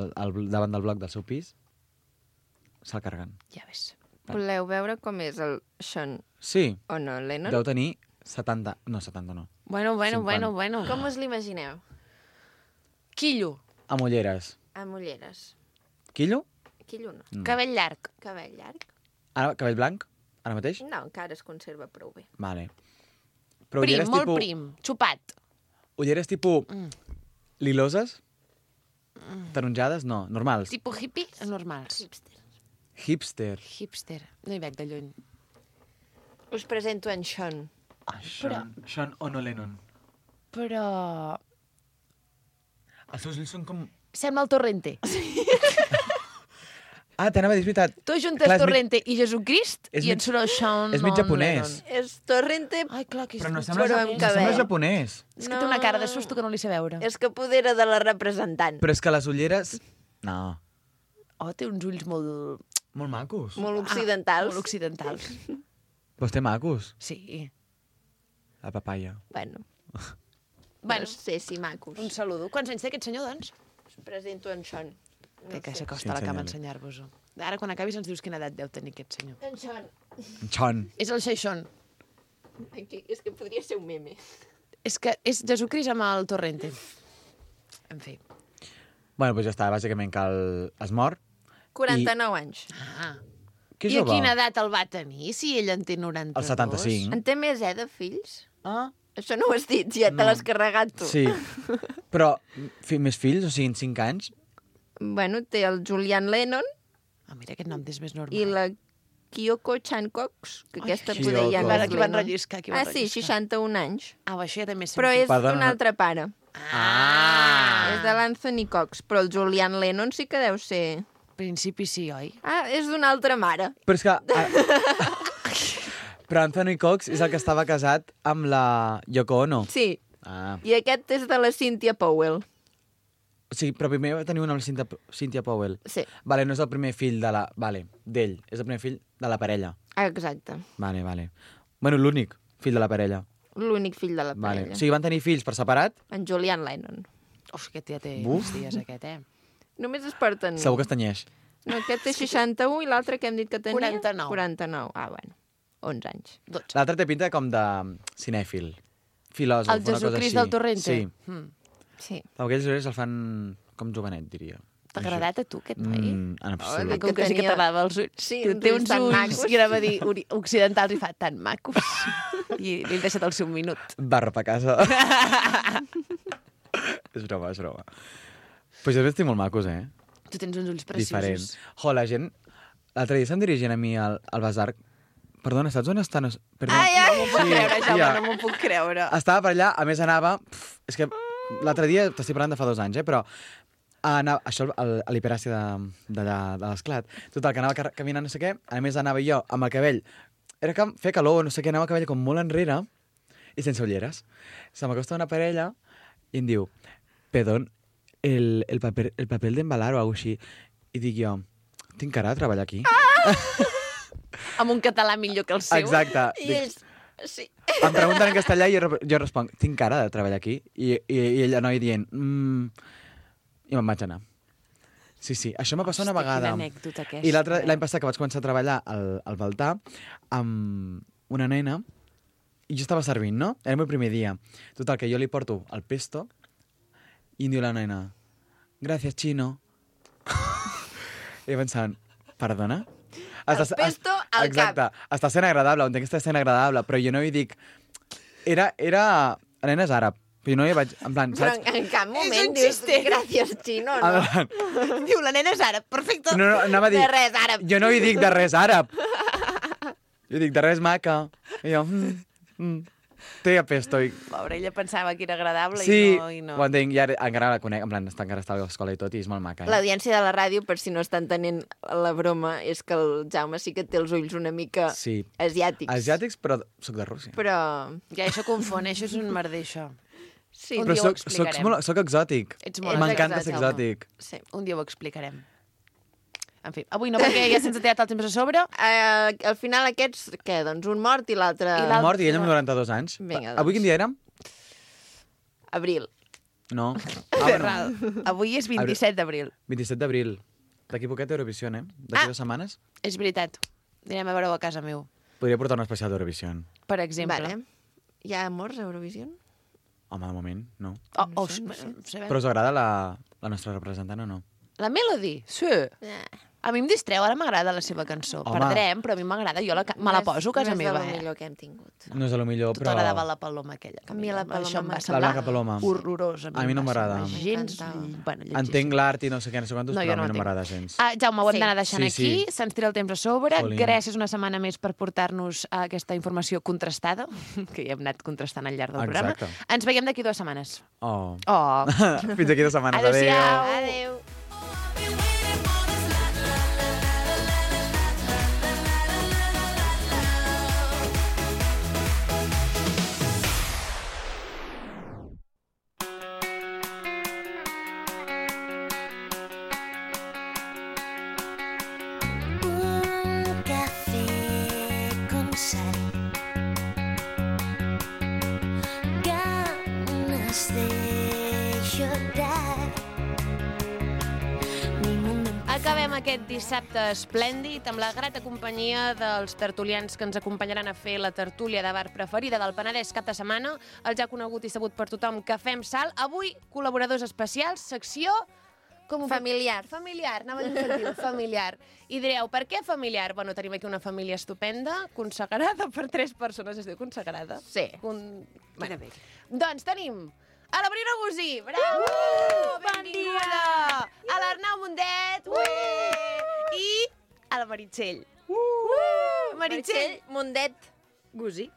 davant del bloc del seu pis, se'l carreguen. Ja ves. Voleu veure com és el Sean Sí, Ono Lennon? deu tenir 70... No, 70 no. Bueno. Com us l'imagineu? Quillo. Amb ulleres. Amb ulleres. Quillo? Quillo no. Cabell llarg. Cabell llarg? Ara, cabell blanc? Ara mateix? No, encara es conserva prou bé. Vale. Però Prim, ulleres molt tipus... prim. Xupat. Ulleres tipus... Liloses? Taronjades? No, normals. Tipo hippie, normals. Hipster. Hipster. No hi veig de lluny. Us presento en Sean. Sean Ono Lennon. Però... Els seus ulls són com Sembla el Torrente. Ah, t'anava a dir, és veritat. Tu juntes Clar, és Torrente i Jesucrist és i mig- et surt el Sean és mig japonès. És Torrente... Ai, clar, que és... Però no mig sembla, Però japonès. amb no sembla cabell. japonès. És que té una cara de susto que no li sé veure. És que poder era de la representant. Però és que les ulleres... No, Oh, té uns ulls molt... molt macos. Molt occidentals. Molt occidentals. Però té macos, Sí. la papaya. Bueno, Bueno, no sé si macos. un saludo. Quants anys té aquest senyor, doncs? Us presento en Sean. Té que sé. s'acosta a la Sí, cama a ensenya-li. ensenyar-vos-ho. Ara, quan acabis, ens dius quina edat deu tenir aquest senyor. En Sean. Chon. És el Xeixón. Aquí, és que podria ser un meme. És que és Jesucrist amb el Torrente. En fi. Bueno, doncs ja està, bàsicament que es mor. 49 anys. Ah. Que I a jove. quina edat el va tenir, si ell en té 92? El 75. En té més, de fills? Ah, Això no ho has dit, ja te l'has carregat tu. sí. Però més fills, o sigui, en 5 anys? Bueno, té el Julian Lennon Ah, mira, aquest nom és més normal. i la Kyoko Chan Cox, que aquesta Kyoko. poder ja no Ara és aquí van Lennon. relliscar, aquí van Ah, sí, relliscar. 61 anys. Ah, això ja té més Però sentit. és Perdona, d'un no- altre pare. Ah! És de l'Anthony Cox, però el Julian Lennon sí que deu ser... Al principi sí, oi? Ah, és d'una altra mare. Però és que... Però Anthony Cox és el que estava casat amb la Yoko Ono. Sí, Ah. i aquest és de la Cynthia Powell. O sigui, però primer va tenir una amb la Cynthia Powell. Sí, Vale, no és el primer fill de la... Vale, d'ell. És el primer fill de la parella. exacte. Vale, vale. Bueno, l'únic fill de la parella. L'únic fill de la Vale. parella. O sigui, van tenir fills per separat? En Julian Lennon. Uf, aquest ja té Buf. uns dies, aquest, eh? Només es porten... Segur que es tenyeix. No, aquest té 61 i l'altre que hem dit que tenia... 49. 49. Ah, bueno. 11 anys. 12. L'altre té pinta com de cinèfil. Filòsof, El una cosa Jesucrist així. del Torrente? Sí. Mm. Sí. Aquells ulls el fan com jovenet, diria. T'ha agradat a tu, aquest noi? En Oh, absolut. Com que sí que tenia- t'agradava els ulls. Sí, Que uns té ulls uns tan ulls, macos. i anava a dir occidentals i fa tan macos. I li he deixat el seu minut. Barra a casa. És broma, és broma. Pues jo estic molt macos, eh? Tu tens uns ulls preciosos. Diferent. Jo, la gent... L'altre dia se'm dirigien a mi al bazar. Perdona, saps on estan? Perdona. Ai, ai! No m'ho puc creure, Jaume, tia. no m'ho puc creure. Estava per allà, a més anava... És que l'altre dia, t'estic parlant de fa 2 anys, però anava, això a l'hiperàcia d'allà, de l'Esclat. Total, que anava caminant no sé què, a més anava jo amb el cabell... Era que feia calor, no sé què, anava el cabell com molt enrere i sense ulleres. Se m'acosta una parella i em diu, perdón, el papel d'embalar o alguna així. I dic jo, tinc cara de treballar aquí? Amb un català millor que el seu. Exacte. I Dic, ells... Sí. em pregunten en castellà i jo responc, tinc cara de treballar aquí? I ella noi dient, i me'n vaig anar. Sí, sí, això m'ha passat una Hosti, vegada. quina anècdota aquesta. I l'any passat que vaig començar a treballar al Baltà amb una nena i jo estava servint, no? Era el meu primer dia. Total, que jo li porto el pesto i em diu la nena, gràcies, Chino. I pensant, perdona? El pesto al Exacte. Està sent agradable, entenc que està sent agradable, però jo no hi dic... La nena és àrab, però jo no hi vaig... En plan, Però saps? en cap un moment dius, xiste. gràcies, Chino, En no? plan, Diu, la nena és àrab, perfecte. no, anava a dir... De res, àrab. Jo no hi dic de res àrab. Jo dic de res maca. I jo... Té pesto. I... Pobre, ella pensava que era agradable Sí, i no. ho entenc, i ara encara la conec, en plan, encara està a l'escola i tot, i és molt maca. L'audiència de la ràdio, per si no estan tenint la broma, és que el Jaume sí que té els ulls una mica Sí. asiàtics. Asiàtics, però soc de Rússia. Però... Ja, això confon, això és un merder, això. Sí, Un Però dia ho soc explicarem. exòtic. Ets molt M'encanta exòtic, ser exòtic. sí. Un dia ho explicarem. En fi, avui no, perquè ja se'ns ha tirat el temps a sobre. Al final aquests, què? Doncs un mort i l'altre... I l'altre- Mort i ell amb 92 anys. Vinga, Avui doncs. quin dia érem? Abril. No. Ferral. Avui és 27 d'abril. 27 d'abril. D'aquí poquet Eurovisió, eh? D'aquí 2 setmanes. És veritat. Anirem a veure-ho a casa meu, Podria portar un especial d'Eurovisió. per exemple. Vale. Hi ha morts a Eurovisió? Home, de moment, no. Oh, No sé. sabem. Però us agrada la nostra representant o no? La Melody? Sí. A mi em distreu, ara m'agrada la seva cançó. Home. Perdrem, però a mi m'agrada. Jo me la poso a casa meva, No és de lo eh? millor que hem tingut. No és de lo millor, Tot però... agradava la paloma aquella. A mi la paloma Això em va m'encanta. semblar La Blanca Paloma. horrorós. A mi no em va m'agrada. semblar Gens... M'encantava. Bueno, lletjíssim. Entenc l'art i no sé què, no sé quantos, No, però jo a no mi no entenc. m'agrada gens. Jaume, ho hem Sí. d'anar deixant Sí, aquí. sí. Se'ns tira el temps a sobre. Jolín. Gràcies una setmana més per portar-nos aquesta informació contrastada, que ja hem anat contrastant al llarg del programa. Exacte. Ens veiem d'aquí 2 setmanes. Oh. Oh. Fins aquí 2 setmanes. Adéu-siau. Adéu. Un café con sal, ganas de llorar. Mi mundo Acabem aquest dissabte esplèndid amb la grata companyia dels tertulians que ens acompanyaran a fer la tertúlia de bar preferida del Penedès cap de setmana, el ja conegut i sabut per tothom Cafè amb Sal. Avui, col·laboradors especials, secció... Familiar. Familiar, anava a dir infantil, familiar. I direu, per què familiar? Bueno, tenim aquí una família estupenda, consagrada per 3 persones. Es diu consagrada? Sí. Bueno. Doncs tenim a la Brina Gusí. Bravo! Benvinguda! A l'Arnau Mundet. I a la Meritxell. Meritxell. Mundet Gusí.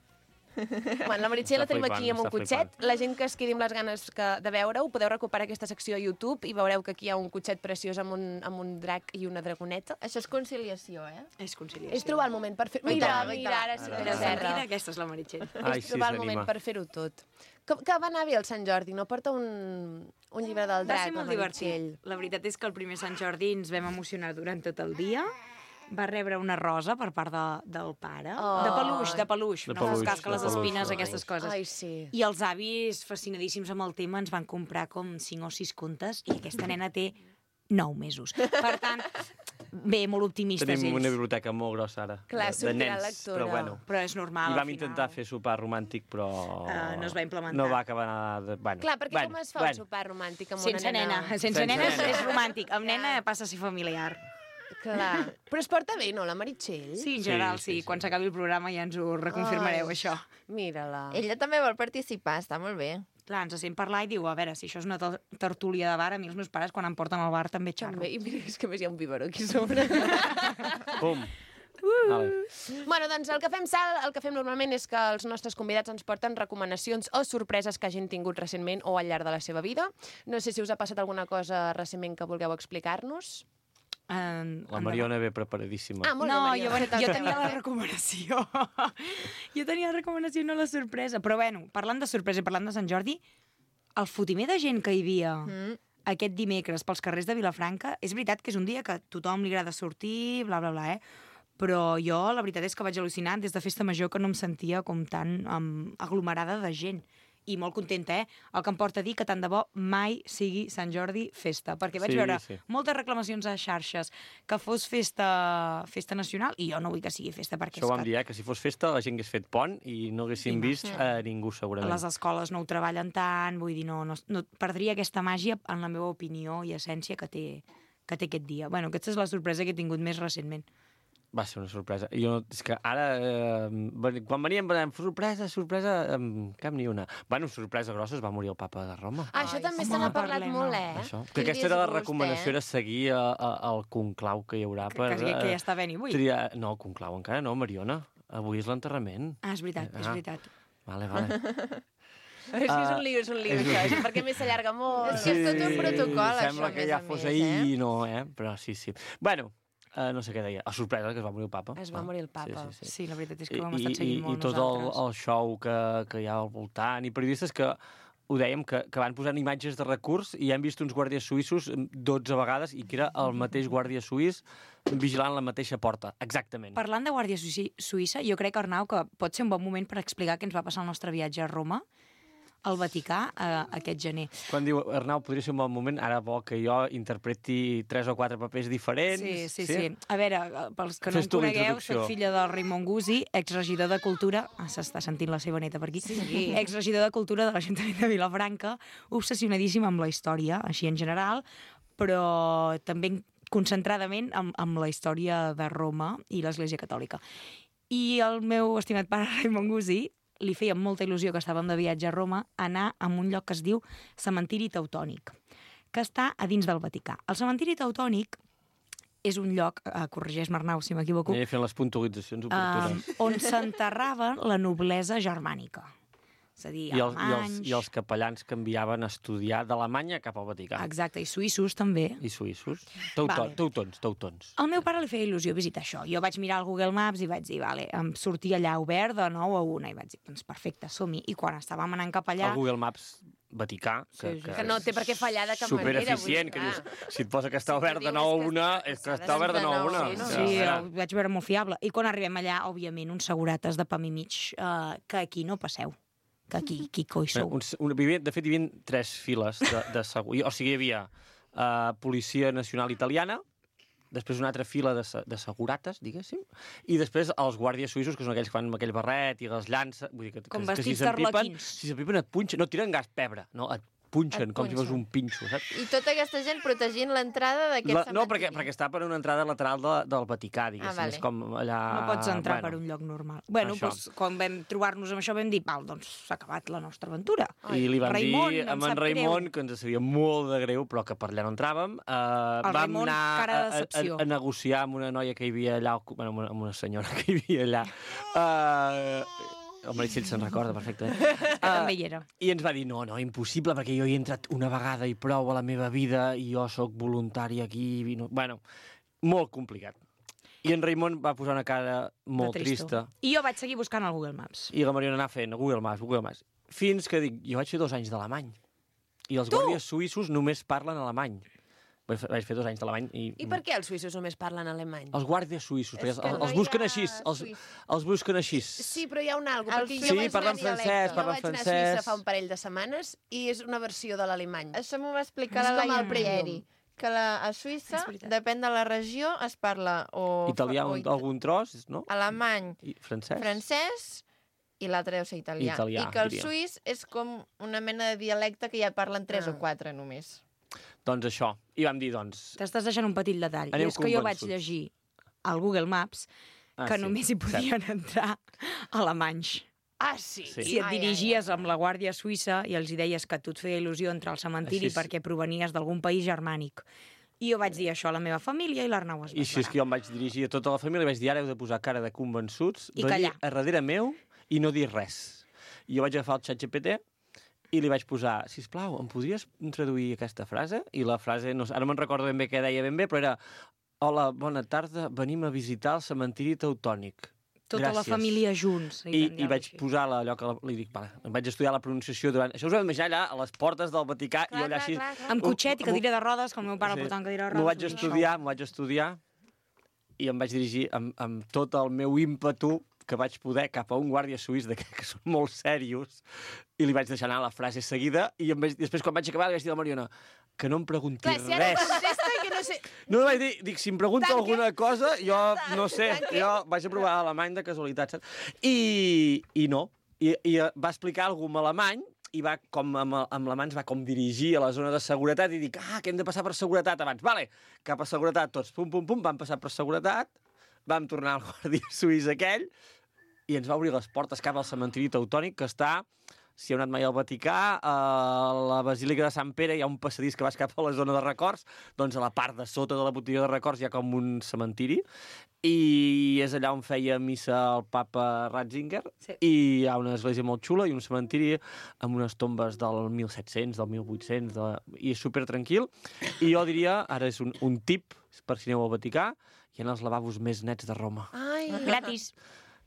Bueno, la Meritxell la Està tenim aquí amb un està cotxet. La gent que es quedi amb les ganes de veure-ho, podeu recuperar aquesta secció a YouTube i veureu que aquí hi ha un cotxet preciós amb un drac i una dragoneta. Això és conciliació, eh? És conciliació. És trobar el moment per fer... Ui, Mira, tant, ui, mira, tant. ara sí que La és terra. Sandrina, aquesta és la Meritxell. Ai, És sí, trobar el s'anima. moment per fer-ho tot. Que va anar bé el Sant Jordi, no? Porta un llibre del Va drac, ser molt la Meritxell. divertit. La veritat és que el primer Sant Jordi ens vam emocionar durant tot el dia. Va rebre una rosa per part del pare. Oh. De peluix, De no fos peluix, cas que les de peluix, espines, sí. aquestes coses. Ai, sí. I els avis, fascinadíssims amb el tema, ens van comprar com 5 o 6 contes i aquesta nena té 9 mesos. Per tant, bé, molt optimistes Tenim una ells. biblioteca molt grossa ara, Clar, de sortirà nens, lectura. però bueno. Però és normal, I al vam final. intentar fer sopar romàntic, però... No es va implementar. No va acabar de... Bueno, Clar, perquè com es fa un sopar romàntic amb Sense una nena? nena. Sense nena és romàntic. Amb nena passa a ser familiar. Clar. Però es porta bé, no, la Meritxell? Sí, en general, Sí, sí, sí. Quan s'acabi el programa ja ens ho reconfirmareu, Ai. això. Mira-la. Ella també vol participar, està molt bé. Clar, ens sent parlar i diu, a veure, si això és una tertúlia de bar, a mi els meus pares quan em porten al bar també xerro. També. I mira, és que a més hi ha un biberó aquí a sobre. Pum! Vale. Bueno, doncs el que fem, Sal, el que fem normalment és que els nostres convidats ens porten recomanacions o sorpreses que hagin tingut recentment o al llarg de la seva vida. No sé si us ha passat alguna cosa recentment que vulgueu explicar-nos. La Mariona ve preparadíssima. Ah, molt No, bé, Mariona. jo tenia la recomanació. Jo tenia la recomanació, no la sorpresa. Però bueno, parlant de sorpresa i parlant de Sant Jordi, el fotimer de gent que hi havia aquest dimecres pels carrers de Vilafranca, és veritat que és un dia que a tothom li agrada sortir, bla, bla, bla, però jo la veritat és que vaig al·lucinar des de Festa Major que no em sentia com tan aglomerada de gent. I molt contenta, El que em porta a dir que tant de bo mai sigui Sant Jordi festa, perquè vaig veure moltes reclamacions a xarxes que fos festa nacional i jo no vull que sigui festa perquè Això ho vam dir, que si fos festa la gent hagués fet pont i no haguéssim vist a ningú, segurament. les escoles no ho treballen tant, vull dir, no perdria aquesta màgia, en la meva opinió i essència, que té aquest dia. Bueno, aquesta és la sorpresa que he tingut més recentment. Va ser una sorpresa. Jo, és que ara, quan veníem, sorpresa, cap ni una. Bueno, sorpresa grossa, es va morir el papa de Roma. Ah, això també se n'ha parlat molt, Això. Que aquesta era la recomanació, era seguir el conclau que hi haurà per... Que ja està ben avui. No, el conclau encara no, Mariona. Avui és l'enterrament. Ah, és veritat, és veritat. Vale. És que és un lío, això, perquè més s'allarga molt. És que és tot un protocol, sembla això, que més ja a fos més, ahir, no, Però sí. Bueno, no sé què deia. La sorpresa que es va morir el papa. Es va morir el papa. Sí, la veritat és que ho hem estat seguint molt I tot el show que hi ha al voltant, i periodistes que ho dèiem, que van posant imatges de recurs i hem vist uns guàrdies suïssos 12 vegades i que era el mateix guàrdia suís vigilant la mateixa porta, exactament. Parlant de Guàrdia Suïssa, jo crec, Arnau, que pot ser un bon moment per explicar què ens va passar el nostre viatge a Roma, al Vaticà, aquest gener. Quan diu, Arnau, podria ser un bon moment, ara vol que jo interpreti 3 o 4 papers diferents. Sí. A veure, pels que no em conegueu, soc filla del Raimon Gusí, exregidor de Cultura, s'està sentint la seva neta per aquí, exregidor de Cultura de l'Ajuntament de Vilafranca, obsessionadíssima amb la història, així en general, però també concentradament amb la història de Roma i l'Església Catòlica. I el meu estimat pare Raimon Gusí li feia molta il·lusió, que estàvem de viatge a Roma, anar a un lloc que es diu Cementiri Teutònic, que està a dins del Vaticà. El Cementiri Teutònic és un lloc, corregeix-me Arnau si m'equivoco, Aniré fent les puntualitzacions oportunes. on s'enterrava la noblesa germànica. És a dir, alemanys... I els capellans que enviaven a estudiar d'Alemanya cap al Vaticà. Exacte, i suïssos també. I suïssos. Vale. Teutons. Al meu pare li feia il·lusió visitar això. Jo vaig mirar el Google Maps i vaig dir, vale, em sortia allà obert de 9 a 1, i vaig dir, doncs perfecte, som-hi. I quan estàvem anant cap allà... El Google Maps Vaticà, que no té per què fallar de cap manera. Supereficient, que dius, si et posa que està obert de 9 a 1, és que està obert de 9 a 1. Sí, ho vaig veure molt fiable. I quan arribem allà, òbviament, uns segurates de pam i mig, que aquí no passeu. Que aquí coi sou. De fet, hi havia 3 files de segur. O sigui, hi havia Policia Nacional Italiana, després una altra fila de segurates, diguéssim, i després els guàrdies suïssos, que són aquells que fan amb aquell barret i les llances... Vull dir, com vestits d'arlequins. Si s'empipen et punxen, no tiren gas pebre, no, et punxen com si fos un pinxo, saps? I tota aquesta gent protegint l'entrada d'aquest cementiri. No, perquè està per una entrada lateral del Vaticà, diguéssim. Vale. És com allà... No pots entrar per un lloc normal. Bueno, doncs, quan vam trobar-nos amb això vam dir, val, doncs s'ha acabat la nostra aventura. I li vam Raimon, dir amb en Raimon, que ens sabia molt de greu, però que per allà no entràvem. Vam anar a negociar amb una noia que hi havia allà, bueno, amb una senyora que hi havia allà. El Meritxell se'n recorda perfectament. També hi era. I ens va dir, no, impossible, perquè jo hi he entrat una vegada i prou a la meva vida i jo sóc voluntari aquí. Bueno, molt complicat. I en Raimon va posar una cara molt trista. I jo vaig seguir buscant al Google Maps. I la Mariona anava fent Google Maps. Fins que dic, jo vaig fer 2 anys d'alemany. I els guàrdies suïssos només parlen alemany. Vaig fer 2 anys d'alemany. I per què els suïssos només parlen alemany? Els guàrdies suïssos, perquè els busquen així. Els busquen així. Sí, però hi ha un algo. Sí, parlen francès, Jo vaig anar a Suïssa fa un parell de setmanes i és una versió de l'alemany. Això m'ho va explicar la Laia Prieri, que a Suïssa, depèn de la regió, es parla o... Italià, algun tros, no? Alemany, francès i l'altre deu ser italià. I que el suís és com una mena de dialecte que ja parlen 3 o 4 només. Doncs això. I vam dir, doncs... T'estàs deixant un petit detall. I és que jo vaig llegir al Google Maps que només hi podien entrar alemanys. Ah, sí? Si et dirigies amb la Guàrdia Suïssa i els hi deies que tu et feia il·lusió entrar al cementiri perquè provenies d'algun país germànic. I jo vaig dir això a la meva família i l'Arnau es va I així és que jo em vaig dirigir a tota la família i vaig dir, ara heu de posar cara de convençuts, i callar a darrere meu i no dir res. I jo vaig agafar el ChatGPT i li vaig posar, sisplau, em podries traduir aquesta frase? I la frase, no, ara me'n recordo ben bé què deia ben bé, però era, hola, bona tarda, venim a visitar el cementiri teutònic. Tota la família junts. I vaig posar allò que li dic, vale, em vaig estudiar la pronunciació durant... Això us ho heu d'imaginar allà, a les portes del Vaticà, i allà així... Amb cotxet i cadira de rodes, com el meu pare el portava en cadira de rodes. M'ho vaig estudiar i em vaig dirigir amb tot el meu ímpetu que vaig poder cap a un guàrdia suís que són molt serios i li vaig deixar anar la frase seguida i després quan vaig acabar li vaig dir a la Mariona que no em pregunti res. Si ara contesta que no sé... No, vaig dir, dic, si em pregunta alguna cosa, jo no sé, jo vaig a provar alemany de casualitat, saps? I no. I va explicar alguna en alemany i va, com amb la mà ens va com dirigir a la zona de seguretat i dic, que hem de passar per seguretat abans. Vale, cap a seguretat tots, pum, pum, pum, vam passar per seguretat, vam tornar al guàrdia suís aquell i ens va obrir les portes cap al cementiri teutònic, que està, si heu anat mai al Vaticà, a la Basílica de Sant Pere hi ha un passadís que vas cap a la zona de records, doncs a la part de sota de la botiga de records hi ha com un cementiri, i és allà on feia missa el papa Ratzinger, i hi ha una església molt xula i un cementiri amb unes tombes del 1700, del 1800, i és supertranquil, i jo diria, ara és un tip per si aneu al Vaticà, hi ha els lavabos més nets de Roma. Ai, gratis.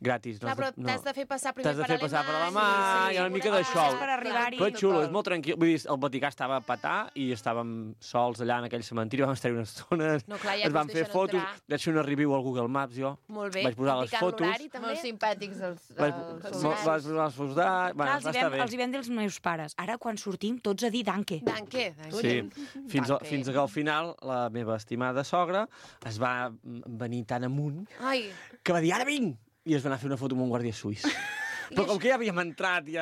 Gratis. Clar, però t'has de fer passar primer per alemany. T'has de fer passar per alemany, hi ha una mica de show. Però és xulo, és molt tranquil. Vull dir, el Vaticà estava a petar i estàvem sols allà en aquell cementiri, vam estar una estona, ens vam fer fotos, vaig fer una review al Google Maps, jo. Molt bé. Vaig posar les fotos. Molt simpàtics els vaig posar les fotos d'art, va estar bé. Els hi vam dir els meus pares. Ara, quan sortim, tots a dir danke. Danke. Sí, fins que al final la meva estimada sogra es va venir tan amunt que va dir, ara vinc! I es va anar a fer una foto amb un guàrdia suís. Però com que ja havíem entrat, jo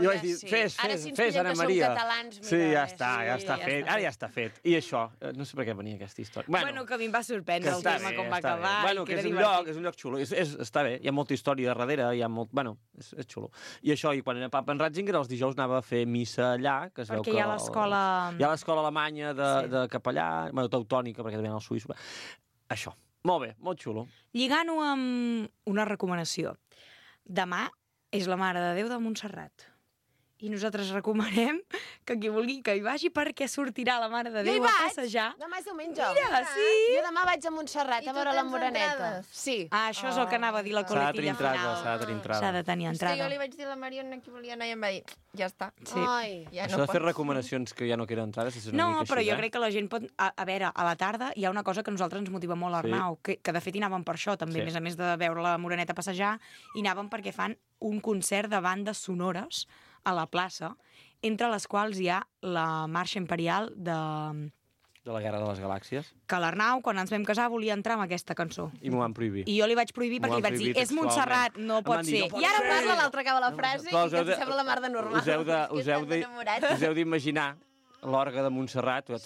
vaig dir, fes, Anna Maria. Catalans, mira, sí, ja està fet. Ara ja està fet. I això, no sé per què venia aquesta història. Bueno, que a mi em va sorprendre el tema com va acabar. Bueno, que és un lloc xulo. Està bé, hi ha molta història darrere, hi ha molt... Bueno, és xulo. I això, i quan era papa en Ratzinger, els dijous anava a fer missa allà, que es veu que... Perquè hi ha l'escola... Hi ha l'escola alemanya de capellà, bueno, teutònica, perquè també hi ha el suís. Això. Molt bé, molt xulo. Lligant-ho amb una recomanació. Demà és la Mare de Déu de Montserrat. I nosaltres recomanem que qui vulgui que hi vagi perquè sortirà la Mare de Déu a passejar. Demà és diumenge. Mira, sí. Jo demà vaig a Montserrat a veure la Moreneta. Sí. Ah, això és el que anava a dir la coletilla final. S'ha de tenir entrada. S'ha de tenir entrada. És que jo li vaig dir a la Mariona que volia anar i em va dir, ja està. Sí. Ja això de fer recomanacions que ja no queden entrades és una no, mica així, però jo crec que la gent pot... A veure, a la tarda hi ha una cosa que a nosaltres ens motiva molt, Arnau, que de fet hi anàvem per això, també, a més de veure la Moreneta passejar, hi anàvem perquè fan un concert de bandes sonores a la plaça, entre les quals hi ha la Marxa Imperial de la Guerra de les Galàxies. Que l'Arnau, quan ens vam casar, volia entrar amb aquesta cançó. I m'ho van prohibir. I jo li vaig prohibir perquè li vaig dir, és Montserrat, no pot ser. I ara parla, l'altre acaba la frase i que ens sembla la mar de normal. Us heu d'imaginar l'orga de Montserrat. I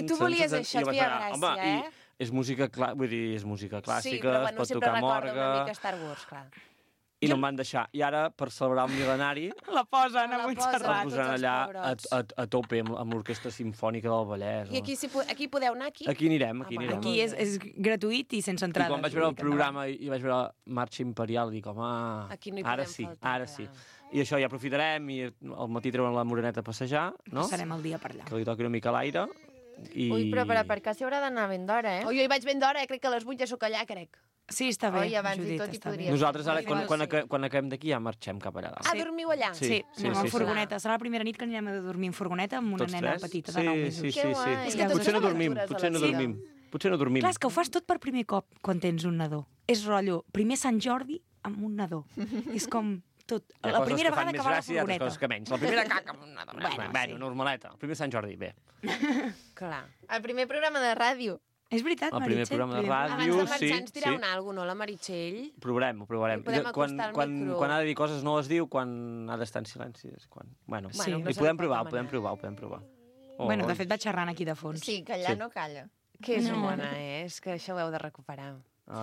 tu volies això, et feia gràcia, eh? És música clàssica, sí, però bueno, es pot tocar amb orga... una mica Star Wars, clar. I no em van deixar. I ara, per celebrar el mil·lenari... La posen a Montserrat. La posen allà a tope amb l'Orquestra Simfònica del Vallès. I aquí podeu anar, aquí? Aquí anirem. Aquí és gratuït i sense entrada. I quan vaig veure el programa i vaig veure Marxa Imperial, dic, home, ara sí. I això, ja aprofitarem i al matí treuen la Moreneta a passejar, no? Passarem el dia per allà. Que li toqui una mica l'aire. Ui, però per aparcar s'hi haurà d'anar ben d'hora, eh? Jo hi vaig ben d'hora, crec que a les 8 ja sóc allà, crec. Sí, està bé, Judit, està bé. Nosaltres ara, quan acabem d'aquí, ja marxem cap allà dalt. Ah, dormiu allà? Sí, anem en furgoneta. Serà la primera nit que anirem a dormir en furgoneta amb una nena petita de 9 mesos. Sí. Potser no dormim. Clar, és que ho fas tot per primer cop quan tens un nadó. És rotllo, primer Sant Jordi amb un nadó. És com tot. La primera vegada que va a la furgoneta. Hi ha coses que menys. La primera caca amb un nadó. Bueno, normaleta. El primer Sant Jordi, bé. Clar. El primer programa de ràdio. És veritat, el primer programa de ràdio, abans de marxar ens dirà una alguna cosa, no, la Meritxell? Ho provarem. Podem acostar el micro. Quan ha de dir coses no les diu, quan ha d'estar en silenci. Bueno, ho podem provar. Bueno, de fet vaig xerrant aquí de fons. Sí, callar no calla. Que és bona, és que això ho heu de recuperar.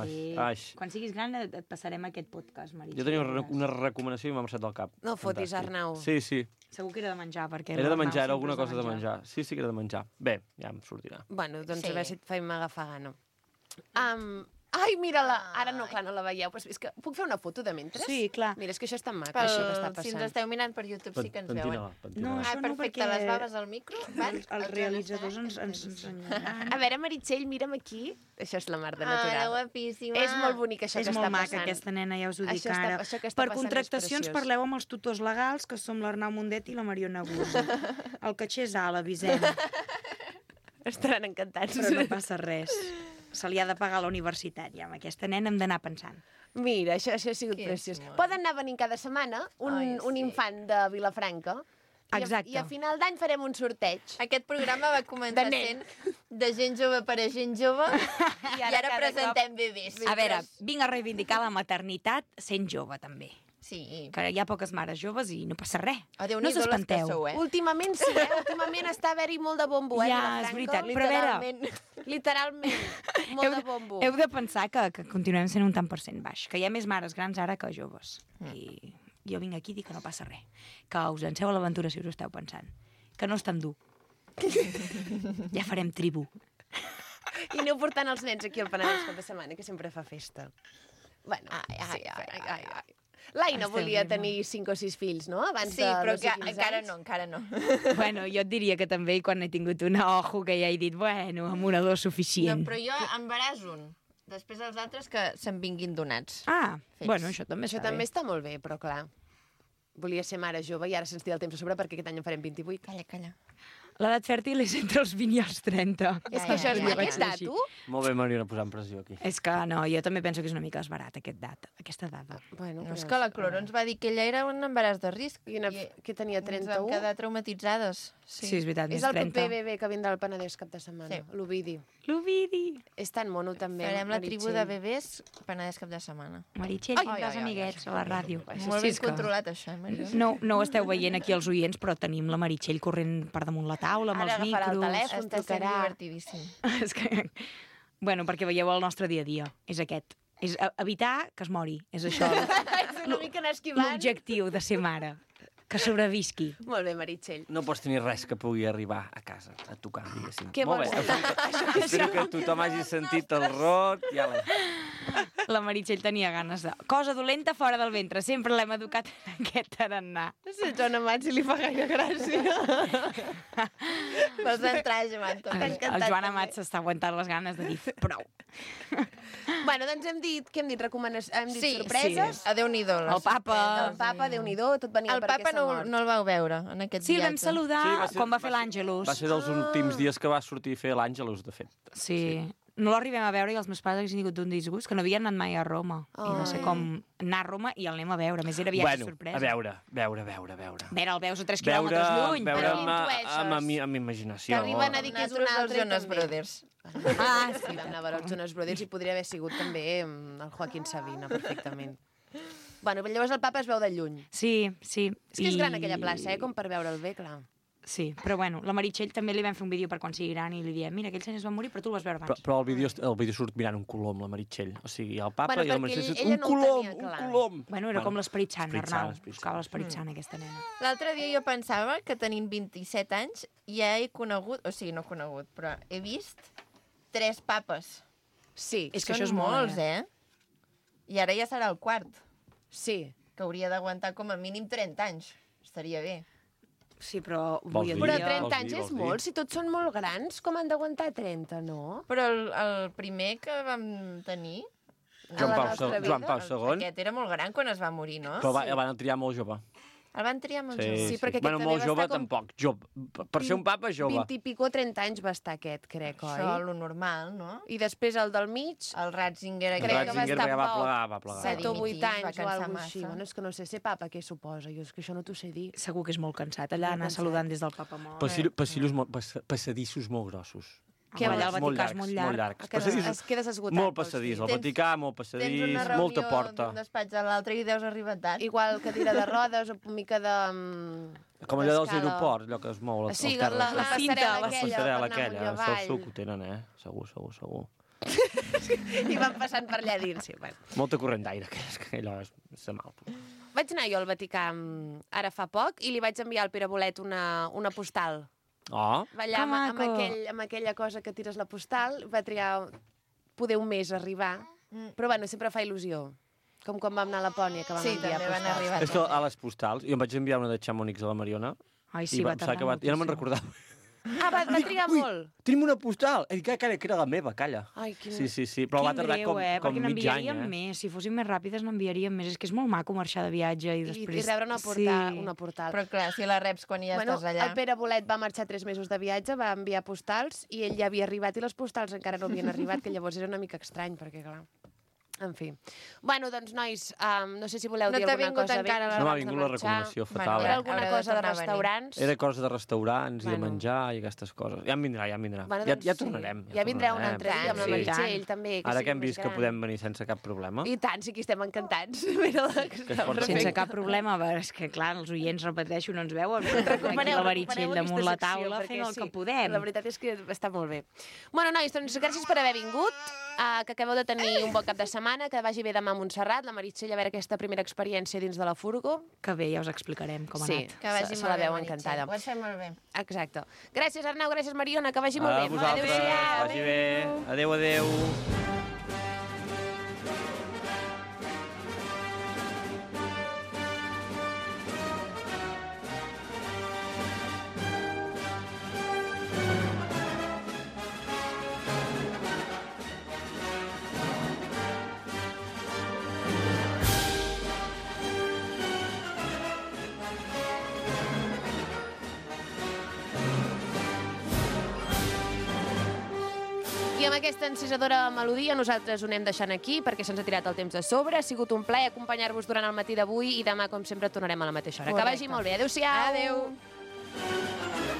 Sí. Quan siguis gran et passarem aquest podcast, Meritxell. Jo tenia una recomanació i m'ha marxat del cap. No fotis, Arnau. Sí. Segur que era de menjar, perquè... Era de menjar, era alguna cosa de menjar. Sí que era de menjar. Bé, ja em sortirà. Bueno, doncs a veure si et faim agafar gana. Ai, mira-la! Ara no, clar, no la veieu. Però és que puc fer una foto de mentre? Sí, clar. Mira, és que això és tan maco, això que està passant. Si ens esteu mirant per YouTube sí que ens veuen. No, això no, perfecte, les baves al micro. Els realitzadors ens ensenyaran. A veure, Meritxell, mira'm aquí. Això és la mar de natural. Guapíssima. És molt bonic això que està passant. És molt maca aquesta nena, ja us ho dic ara. Per contractacions parleu amb els tutors legals, que som l'Arnau Mundet i la Mariona Guzzi. El caixer és alt, avisem. Estaran encantats. Però no passa res. Se li ha de pagar a la universitat, ja. Amb aquesta nena hem d'anar pensant. Mira, això ha sigut preciós. Poden anar venint cada setmana un infant de Vilafranca. Exacte. I a final d'any farem un sorteig. Aquest programa va començar sent de gent jove per a gent jove i ara presentem bebès. A veure, vinc a reivindicar la maternitat sent jove, també. Sí. Que hi ha poques mares joves i no passa res. No us espanteu. Últimament sí, Últimament està a haver-hi molt de bombo, Ja, és veritat. Però a veure... Literalment, molt de bombo. Heu de pensar que continuem sent un tant per cent baix, que hi ha més mares grans ara que joves. I jo vinc aquí i dic que no passa res. Que us llanceu a l'aventura si us ho esteu pensant. Que no és tan dur. Ja farem tribu. I aneu portant els nens aquí al Penedès cap de setmana, que sempre fa festa. Bueno, l'Aina volia tenir 5 o 6 fills, no? Abans sí, però encara no. Bueno, jo et diria que també quan he tingut una ojo que ja he dit, bueno, amb una dos suficient. No, però jo embaràs un. Després els altres que se'n vinguin donats. Bueno, això també està bé. Això també està molt bé, però clar, volia ser mare jove i ara se'ns tira el temps a sobre perquè aquest any en farem 28. Calla. L'edat fèrtil és entre els 20 i els 30. És que això és Jo vaig aquest dir així. dato? Molt bé, Mariona, posant pressió aquí. És que no, jo també penso que és una mica esbarat aquesta data. Bueno, No, és que la Cloro ens va dir que ella era un embaràs de risc. Que tenia Ens vam 31? quedar traumatitzades. Sí, és veritat, És més el 30. proper bebè que vindrà al Penedès cap de setmana, Sí. l'Ovidi. L'Ovidi. És tan mono també, Farem la tribu Meritxell. de bebès Penedès cap de setmana. Meritxell, tindràs amiguets a la ràdio. Molt ben controlat, això, Mariona. No ho esteu veient aquí els oients, però tenim la Meritxell corrent per damunt la taula, amb Ara els agafarà el micros. telèfon, Està sent trucarà. divertidíssim. És que... Bueno, perquè veieu el nostre dia a dia. És aquest. És evitar que es mori. És això És una mica anar esquivant. l'objectiu de ser mare. Que sobrevisqui. Molt bé, Meritxell. No pots tenir res que pugui arribar a casa, a tocar, diguéssim. Què Molt vols bé. Espero que tothom hagi sentit el rot. Ja La Meritxell tenia ganes de... Cosa dolenta fora del ventre. Sempre l'hem educat en aquest tarannà. No sé, Joan Amat, si li fa gaire gràcia. Vols entrar, Joan? El Joan Amat s'està aguantant les ganes de dir prou. Bueno, doncs hem dit Sí, sorpreses. sí. Déu-n'hi-do. El papa. El papa, Déu-n'hi-do, tot venia El per papa aquesta mort. no el vau veure en aquest Sí, el viatge. vam saludar Sí, quan va fer l'Àngelus. Va ser dels últims dies que va sortir a fer l'Àngelus, de fet. Sí. No l'arribem a veure i els meus pares haguessin tingut un disgust, que no havien anat mai a Roma. I va ser com anar a Roma i el anem a veure. A més, era viatge sorpresa. A veure. Veure, el veus a 3 quilòmetres lluny. Veure però amb imaginació. T'arriben a dir que és un Nosaltres altre els Jonas també. Brothers. Ah, sí, vam anar a veure els Jonas Brothers i podria haver sigut també el Joaquín Sabina, perfectament. Bueno, llavors el papa es veu de lluny. Sí. És que és gran aquella plaça, com per veure'l bé, clar. Sí, però bueno, la Meritxell també li vam fer un vídeo per quan sigui gran i li diem, mira, aquell senyor es va morir, però tu el vas veure abans. Però el vídeo surt mirant un colom, la Meritxell. O sigui, el papa Bueno, i la perquè Meritxell surt ella un no ho colom, tenia un clar. colom. Bueno, era com l'Esperit Sant, Esperit Sant, Arnau. Esperit Buscava Sant. l'Esperit Sant, aquesta nena. L'altre dia jo pensava que tenint 27 anys ja he conegut, o sigui, no conegut, però he vist 3 papes. Sí. És que Són això és molt, molts, I ara ja serà el quart, Sí. que hauria d'aguantar com a mínim 30 anys. Estaria bé. Sí, però Vols avui dir? en Però dia... 30 anys vols és dir? molt, si tots són molt grans, com han d'aguantar 30, no? Però el primer que vam tenir... Joan la Pau, nostra vida. Joan Pau II. Aquest era molt gran quan es va morir, no? Però el van triar molt jove. El van triar molt Sí, jove. Sí, perquè aquest Bueno, també molt va jove estar com tampoc. Jove. Per ser un papa, jove. 20 i pico, 30 anys va estar aquest, crec, Això, oi? lo normal, no? I després el del mig, El Ratzinger... El crec que va Ratzinger estar ja va poc. plegar, va plegar. 7 o 8 dimitir, va anys o cansar alguna així. massa. Bueno, és que no sé, ser papa, què suposa? Jo és que això no t'ho sé dir. Segur que és molt cansat, allà anar saludant des del papa mort. Passadissos molt grossos. Què, allà al Vaticà és molt llarg. Molt llargs. Es quedes esgotat. Molt pels passadís. fills. Al Vaticà, molt Tens passadís, una reunió molta porta. d'un despatx a l'altre i deus arribar tard. Igual cadira de rodes o mica de... Com allò dels d'escala. aeroports, allò que es mou als Sí, carrers. la cinta, passarel·la la aquella, Passarel·la per anar aquella. amunt i Això avall. ho tenen, Segur. I van passant per allà dins. Sí, bueno. Molta corrent d'aire, que allò és mal. Vaig anar jo al Vaticà ara fa poc i li vaig enviar al Pere Bolet una postal. Oh, Va allà Que amb maco. amb aquella cosa que tires la postal, va triar poder un mes a arribar, però bueno, sempre fa il·lusió. Com quan vam anar a Lapònia, que vam Sí, enviar també van postals. arribar. és que a les postals, jo em vaig enviar una de Chamonix a la Mariona, Ai, sí, i va em sembla tardar que ja no me'n moltíssim. recordava. Ah, va trigar molt. Tenim una postal! I que era la meva, calla. Ai, quin... Sí, però va Quin tardar greu, com perquè mig any, n'enviaríem més. Si fóssim més ràpides, n'enviaríem més. És que és molt maco marxar de viatge i I després... rebre una portal. Però clar, si la reps quan ja estàs allà... El Pere Bolet va marxar 3 mesos de viatge, va enviar postals i ell ja havia arribat i les postals encara no havien arribat, que llavors era una mica estrany, perquè clar... En fi. Bueno, doncs, nois, no sé si voleu No dir t'ha alguna vingut cosa encara abans No m'ha de vingut la marxar. recomanació fatal. Era alguna Haurà de cosa de tornar a venir. restaurants? Era cosa de restaurants i de Bueno. menjar i aquestes coses. Ja em vindrà. Bueno, ja doncs, tornarem. Ja vindrà un tornarem. altre dia amb la Sí, Meritxell, també. Ara sigui que hem més vist que gran. podem venir sense cap problema. I tant, sí que estem encantats. Mira-la, que està porta Sense perfecta. cap problema, però és que, clar, els oients, repeteixo, no ens veuen. Aquí la Meritxell damunt la taula fent el que podem. La veritat és que està molt bé. Bueno, nois, doncs gràcies per haver vingut, que acabeu de tenir un bon cap de setmana, que vagi bé demà a Montserrat, la Meritxell, a veure aquesta primera experiència dins de la furgo. Que bé, ja us explicarem com ha Sí, anat. Que vagi se molt la bé, veu Meritxell. encantada. Ho has fet molt bé. Exacte. Gràcies, Arnau, gràcies, Mariona, que vagi molt A bé. vosaltres, Adéu-siau. vagi bé. Adéu. I amb aquesta encisadora melodia nosaltres ho anem deixant aquí perquè se'ns ha tirat el temps de sobre. Ha sigut un plaer acompanyar-vos durant el matí d'avui i demà, com sempre, tornarem a la mateixa hora. Que vagi molt bé. Adéu-siau. Adéu.